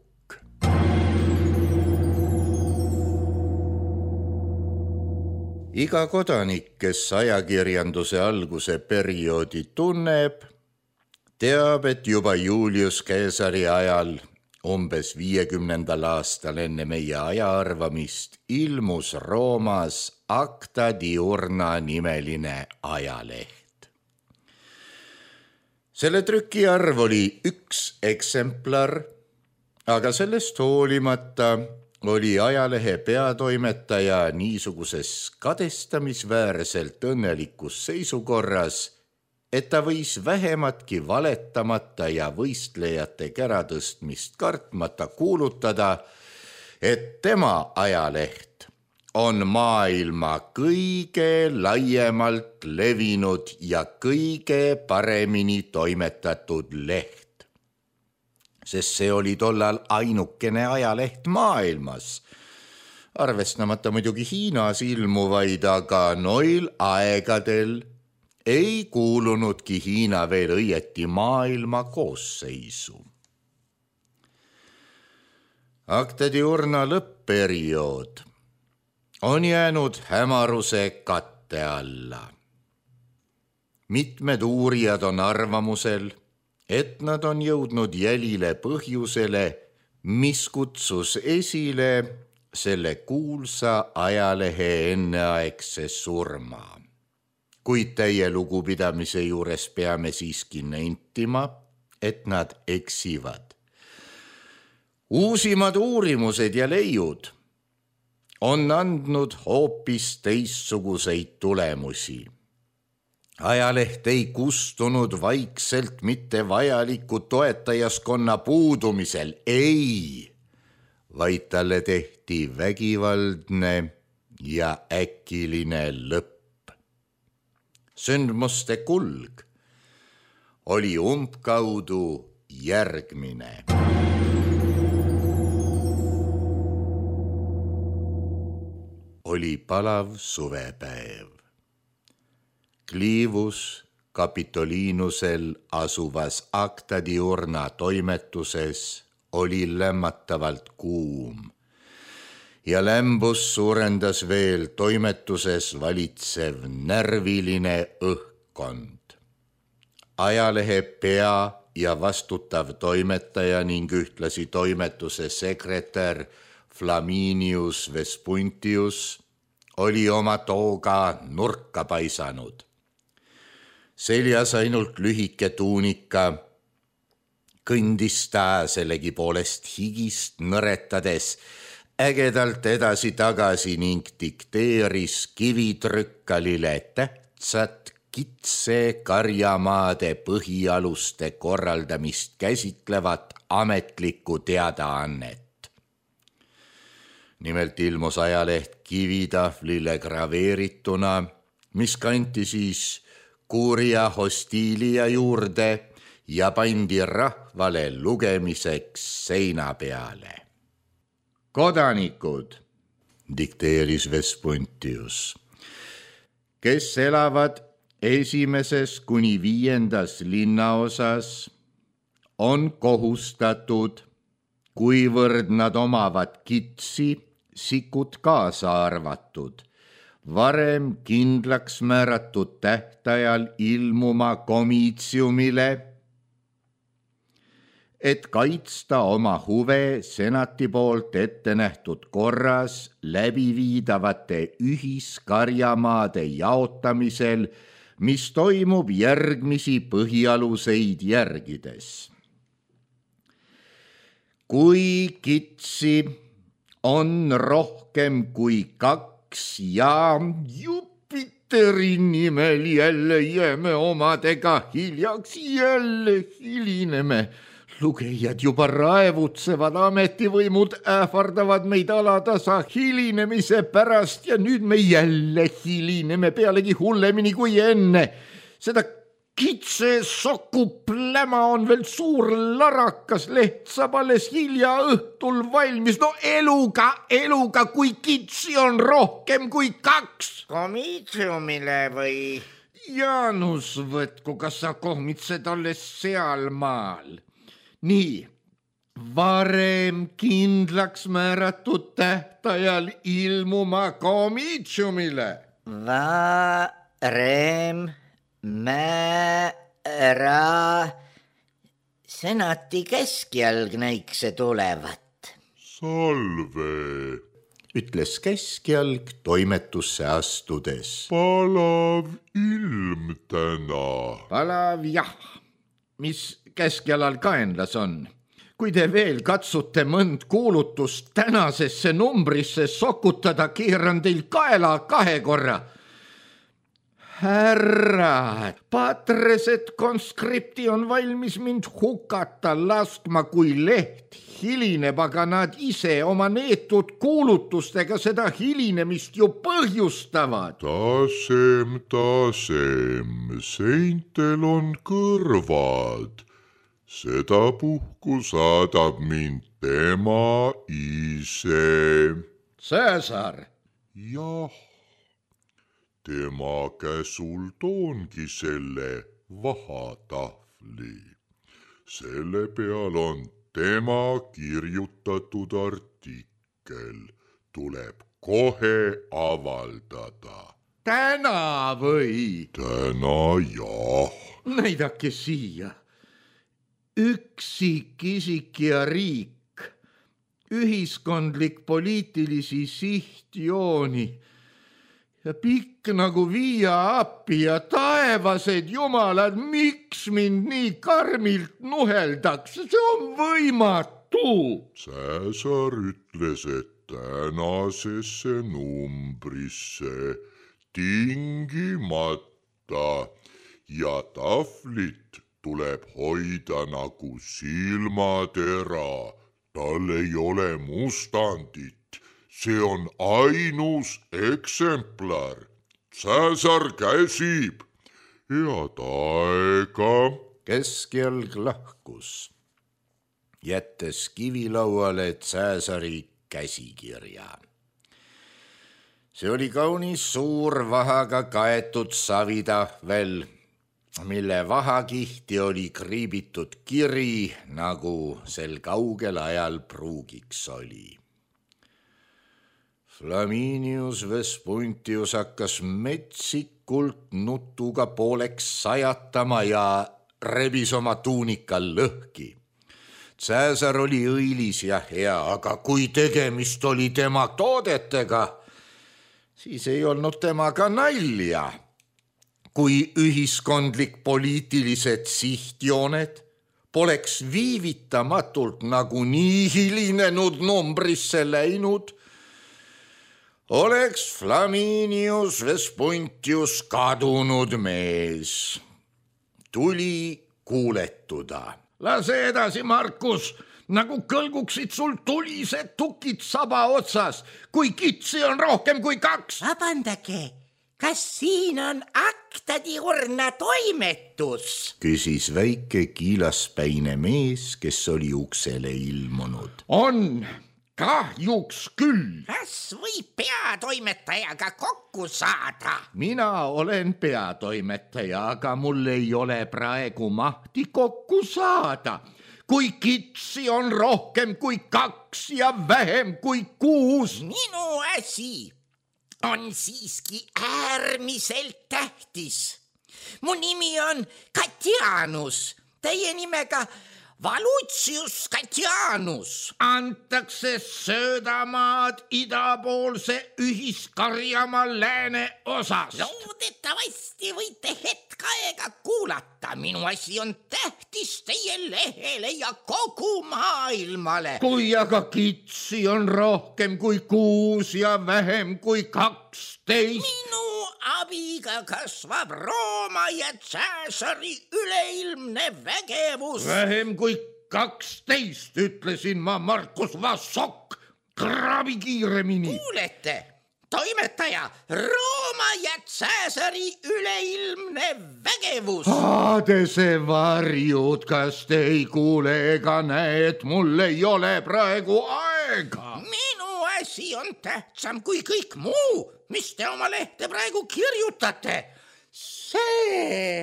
Iga kodanik, kes ajakirjanduse alguse perioodi tunneb, teab, et juba Julius Caesari ajal, umbes viiekümnendal aastal enne meie ajaarvamist, ilmus Roomas Acta diurna nimeline ajaleht. Selle trükiarv oli üks eksemplar, aga sellest hoolimata oli ajalehe peatoimetaja niisuguses kadestamisväärselt õnnelikus seisukorras, et ta võis vähematki valetamata ja võistlejate käratõstmist kartmata kuulutada, et tema ajaleht on maailma kõige laiemalt levinud ja kõige paremini toimetatud leht. Sest see oli tollal ainukene ajaleht maailmas. Arvestamata muidugi Hiinas ilmuvaid, aga noil aegadel ei kuulunudki Hiina veel õieti maailma koosseisu. Acta diurna lõppperiood on jäänud hämaruse katte alla. Mitmed uurijad on arvamusel, et nad on jõudnud jälile põhjusele, mis kutsus esile selle kuulsa ajalehe enneaegse surma. Kuid täie lugupidamise juures peame siiski nentima, et nad eksivad. Uusimad uurimused ja leiud on andnud hoopis teistsuguseid tulemusi. Ajaleht ei kustunud vaikselt mitte vajaliku toetajaskonna puudumisel, ei, vaid talle tehti vägivaldne ja äkiline lõpp. Sündmuste kulg oli umbkaudu järgmine. Oli palav suvepäev. Kliivus Kapitoliinusel asuvas Acta Diurna toimetuses oli lämmatavalt kuum ja lämbus suurendas veel toimetuses valitsev närviline õhkkond. Ajalehe pea ja vastutav toimetaja ning ühtlasi toimetuse sekretär Flaminius Vespuntius oli oma tooga nurka paisanud. Seljas ainult lühike tuunika, kõndis ta sellegi poolest higist nõretades ägedalt edasi tagasi ning dikteeris kivitrükkalile tähtsat kitse karjamaade põhialuste korraldamist käsitlevat ametlikku teadaannet. Nimelt ilmus ajaleht kivitahvlile graveerituna, mis kanti siis Curia Hostilia juurde ja pandi rahvale lugemiseks seina peale. Kodanikud, dikteeris Vespuntius, kes elavad esimeses kuni viiendas linnaosas, on kohustatud, kuivõrd nad omavad kitsi, sikut kaasa arvatud, varem kindlaks määratud tähtajal ilmuma komiitsiumile, et kaitsta oma huve senati poolt ette nähtud korras läbiviidavate ühiskarjamaade jaotamisel, mis toimub järgmisi põhialuseid järgides. Kui kitsi on rohkem kui kaks ja Jupiteri nimel jälle jääme omadega hiljaks, jälle hilineme. Lugejad juba raevutsevad, ametivõimud ähvardavad meid alatasa hilinemise pärast ja nüüd me jälle hilineme pealegi hullemini kui enne. Seda kitse soku pläma on veel suur larakas, leht saab alles hilja õhtul valmis. No eluga, eluga, kui kitsi on rohkem kui kaks. Komiitsiumile või? Jaanus, võtku, kas sa kohmitsed alles seal maal? Nii, varem kindlaks määratud tähtajal ilmuma komiitsiumile. Varem määra senati keskjalg näikse tulevat. Salve, ütles keskjalg toimetusse astudes. palav ilm täna. Palav jah, mis keskjalal kaenlas on. Kui te veel katsute mõnd kuulutust tänasesse numbrisse sokutada, keeran teil kaela kahe korra. Härra, patreset konskripti on valmis mind hukata laskma, kui leht hilineb, aga nad ise oma neetud kuulutustega seda hilinemist ju põhjustavad. Tasem, tasem, seintel on kõrvad. Seda puhku saadab mind tema ise. Cäsar. Jah, tema käsul toongi selle vahatahvli. Selle peal on tema kirjutatud artikkel. Tuleb kohe avaldada. Täna või? Täna jah. Näidake siia. Üksikisik ja riik, ühiskondlik poliitilisi sihtjooni ja pikk nagu Via Appi ja taevased jumalad, miks mind nii karmilt nuheldakse, see on võimatu. Cäsar ütles, et tänasesse numbrisse tingimata ja tahvlit tuleb hoida nagu silmatera. Tal ei ole mustandit. See on ainus eksemplar. Cäsar käsib. Head aega. Keskjalg lahkus, jättes kivilauale Cäsari käsikirja. See oli kaunis suur vahaga kaetud savitahvel, mille vahakihti oli kriibitud kiri, nagu sel kaugel ajal pruugiks oli. Flaminius Vespuntius hakkas metsikult nutuga pooleks sajatama ja rebis oma tuunikal lõhki. Cäsar oli õilis ja hea, aga kui tegemist oli tema toodetega, siis ei olnud temaga nalja. Kui ühiskondlik poliitilised sihtjooned poleks viivitamatult nagu nii hilinenud numbrisse läinud, oleks Flaminius Vespuntius kadunud mees. Tuli kuuletuda. Lase edasi, Markus, nagu kõlguksid sul tulised tukid saba otsas, kui kitsi on rohkem kui kaks. Vabandage, kas siin on aktadiurna toimetus? Küsis väike kiilaspäine mees, kes oli uksele ilmunud. On, kahjuks küll. Kas võib peatoimetajaga kokku saada? Mina olen peatoimetaja, aga mul ei ole praegu mahti kokku saada. Kui kitsi on rohkem kui kaks ja vähem kui kuus. Minu asi on siiski äärmiselt tähtis. Mu nimi on Katianus, teie nimega Valutsius Katianus. Antakse söödamaad idapoolse ühiskarjamaa lääne osas. Loodetavasti võite hetk aega kuulata. Minu asi on tähtis teie lehele ja kogu maailmale. Kui aga kitsi on rohkem kui kuus ja vähem kui kaksteist. Minu abiga kasvab Rooma ja Cäsari üleilmne vägevus. Vähem kui kaksteist, ütlesin ma, Markus Vassok. Krabi kiiremini. Kuulete, toimetaja, Rooma ja Cäsari üleilmne vägevus. Aadese varjud, kas te ei kuule ega näe, et mul ei ole praegu aega? Minu asi on tähtsam kui kõik muu, mis te oma lehte praegu kirjutate. See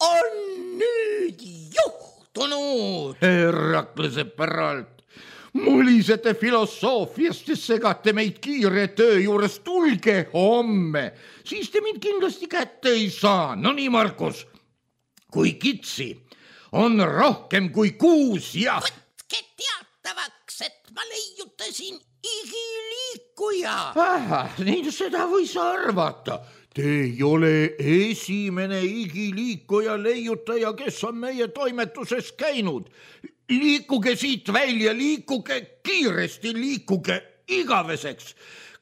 on nüüd juhtunud. Heraklase päralt, mulisete filosoofiast ja segate meid kiire töö juures. Tulge homme, siis te mind kindlasti kätte ei saa. No nii, Markus, kui kitsi on rohkem kui kuus ja... Võtke teatavaks, et ma leiutasin igiliikuja. Aha, nii seda võis arvata. Te ei ole esimene igiliikuja leiutaja, kes on meie toimetuses käinud. Liikuge siit välja, liikuge kiiresti, liikuge igaveseks.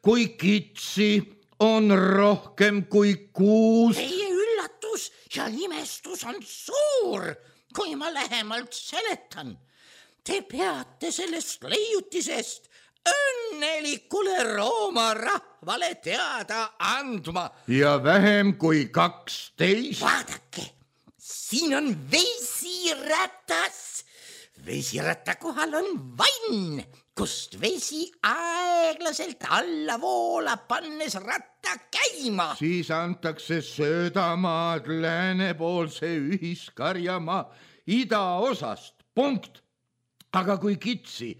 Kui kitsi on rohkem kui kuus. Teie üllatus ja imestus on suur, kui ma lähemalt seletan. Te peate sellest leiutisest õnnelikule Rooma rahvale teada andma. Ja vähem kui kaksteist. Vaadake, siin on vesiratas. Vesiratta kohal on vann, kust vesi aeglaselt alla voolab, pannes ratta käima. Siis antakse söödamaad läänepoolse ühiskarjamaa idaosast. Punkt. Aga kui kitsi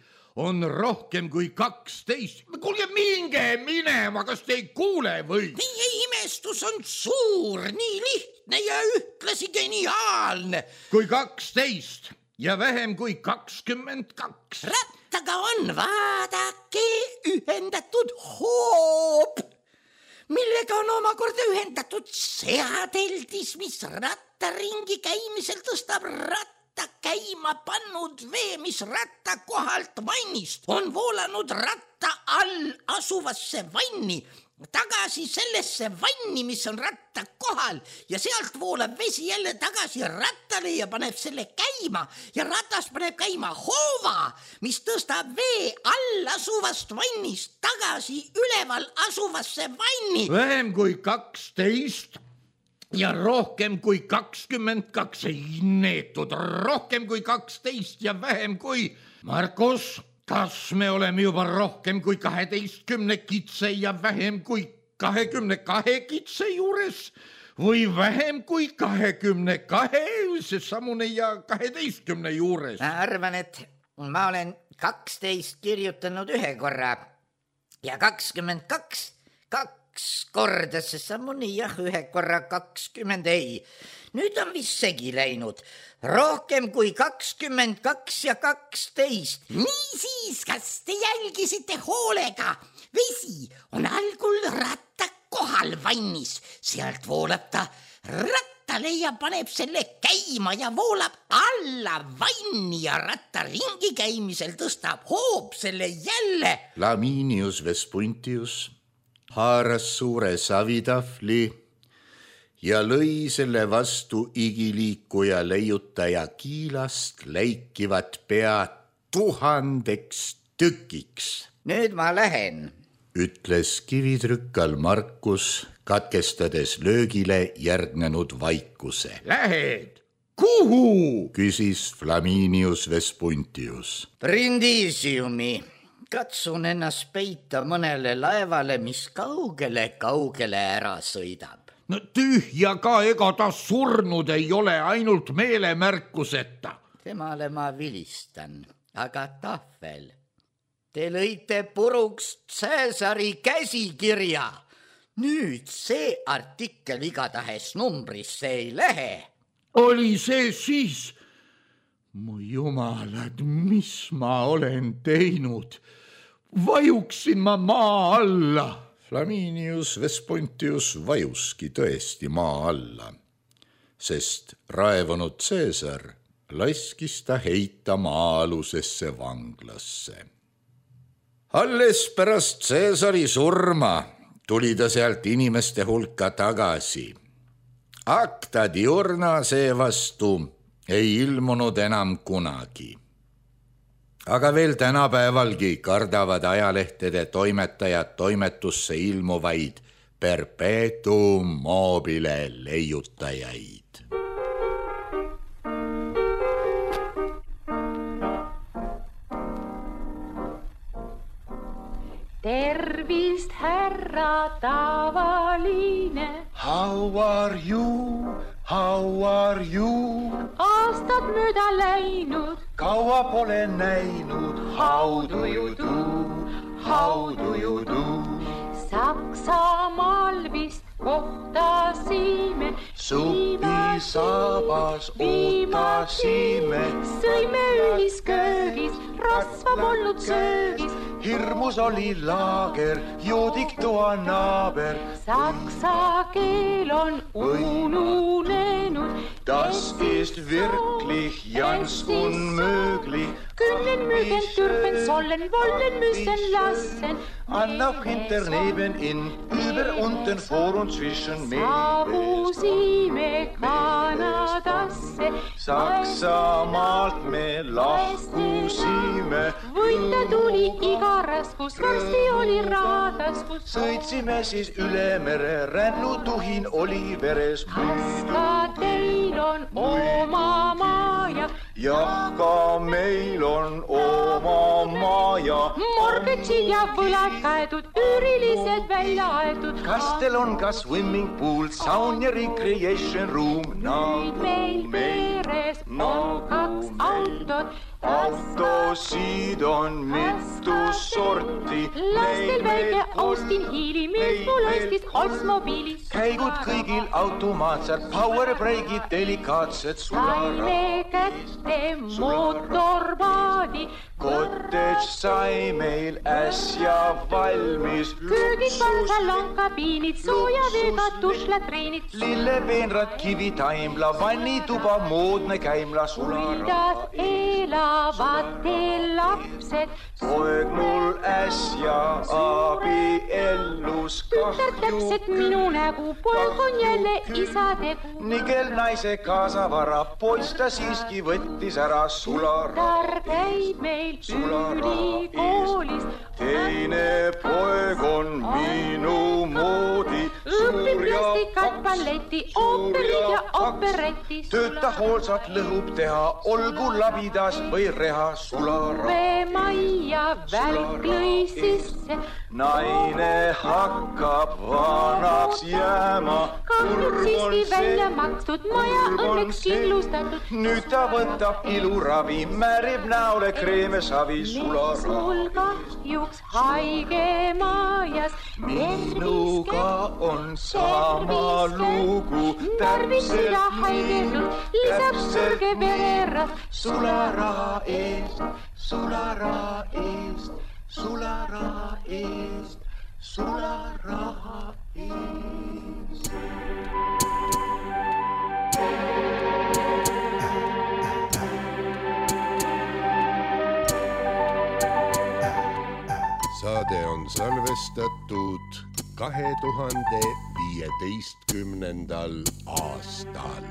on rohkem kui kaksteist. Kuulge, minge minema, kas te ei kuule või? Teie imestus on suur, nii lihtne ja ühtlasi geniaalne. Kui kaksteist ja vähem kui kakskümmend kaks. Rattaga on, vaadake, ühendatud hoob, millega on omakorda ühendatud seadeldis, mis rattaringi käimisel tõstab ratta käima pannud vee, mis ratta kohalt vannist on voolanud ratta all asuvasse vanni, tagasi sellesse vanni, mis on ratta kohal, ja sealt voolab vesi jälle tagasi rattale ja paneb selle käima ja ratas paneb käima hoova, mis tõstab vee all asuvast vannist tagasi üleval asuvasse vanni. Vähem kui kaksteist ja rohkem kui kakskümmend kaks, ei neetud, rohkem kui kaksteist ja vähem kui... Markus, kas me oleme juba rohkem kui kaheteistkümne kitse ja vähem kui kahekümne kahe kitse juures või vähem kui kahekümne kahe, seesamune ja kaheteistkümne juures? Ma arvan, et ma olen kaksteist kirjutanud ühe korra ja kakskümmend kaks, kaks korda seesamune jah, ühe korra kakskümmend ei. Nüüd on vist segi läinud. Rohkem kui kakskümmend kaks ja kaksteist. Niisiis, kas te jälgisite hoolega? Vesi on algul ratta kohal vannis. Sealt voolab ta rattale ja paneb selle käima ja voolab alla vanni ja ratta ringi käimisel tõstab hoob selle jälle. Flaminius Vespuntius haaras suure savitahvli ja lõi selle vastu igiliikuja leiutaja kiilast läikivat pea tuhandeks tükiks. Nüüd ma lähen, ütles kivitrükkal Markus, katkestades löögile järgnenud vaikuse. Lähed? Kuhu? Küsis Flaminius Vespuntius. Brindisiumi. Katsun ennast peita mõnele laevale, mis kaugele-kaugele ära sõidab. No tühja ka, ega ta surnud ei ole, ainult meelemärkuseta. Temale ma vilistan, aga tahvel. Te lõite puruks Cäsari käsikirja. Nüüd see artikkel igatahes numbrisse ei lähe. Oli see siis? Mu jumalad, mis ma olen teinud? Vajuksin ma maa alla. Flaminius Vespuntius vajuski tõesti maa alla, sest raevunud Cäsar laskis ta heita maa-alusesse vanglasse. Alles pärast Cäsari surma tuli ta sealt inimeste hulka tagasi. Acta diurna seevastu ei ilmunud enam kunagi. Aga veel tänapäevalgi kardavad ajalehtede toimetajad toimetusse ilmuvaid perpetuum mobile leiutajaid. Tervist, härra tavaline. How are you? How are you? Aastad mööda läinud. Kaua pole näinud. How do you do? How do you do? Saksamaal vist kohtasime. Supisaabas ootasime. Sõime ühisköögis, rasva polnud söögis. Hirmus oli laager, joodik toa naaber. Saksa keel on ununenud. Das ist wirklich ganz unmöglich. Können mögen, dürfen, sollen, wollen, müssen, lassen. Anlauf hinter, neben, in, über, unten, vor und zwischen Meeren. Saabusime Kanadasse. Saksamaalt me lahkusime. Võita tuli iga raskus, varsti oli raadaskus. Sõitsime siis üle mere, rännutuhin oli veres. Kas ka teil on oma maja? Jah, ka meil on oma maja. Mortgagid ja võlad kaetud, üürilised välja aetud. Kas teil on ka swimming pool, saun ja recreation room? Nüüd meil peres on kaks autot. Autosid on mitu sorti. Lastel väike Austin Healey, mees mul ostis Oldsmobiilis. Käigud kõigil automaatsed, power breakid, delikaatsed sularad. Saime kätte mootorpaadi. Cottage sai meil äsja valmis. Köögid, salon, kabiinid, sooja veega tušlatreenid. Lillepeenrad, kivitaimla, vannituba, moodne käimla, sularad. Kuidas elavad teil lapsed? Poeg mul äsja abiellus Tütar täpselt minu nägu, poeg on jälle isa tegu. Nigel naise kaasavara, poiss ta siiski võttis ära sularad. Tütar käib meil ülikoolis. Teine poeg on minu moodi. Õpib plastikat, balletti, ooperid ja operetis. Tööta hoolsalt lõhub teha, olgu labidas või reha sulara. Majja välk lõi sisse. Naine hakkab vanaks jääma. Kahjud siiski välja makstud, maja õnneks kindlustatud. Nüüd ta võtab iluravi, määrib näole kreeme savi sulara. Sul kahjuks haige majas. Minuga on sama lugu. Tarvised ja haigetud, lisab surge vererat. Sulara eest, sulara eest, sulara eest, sulara eest. Saade on salvestatud kahe tuhande viieteistkümnendal aastal.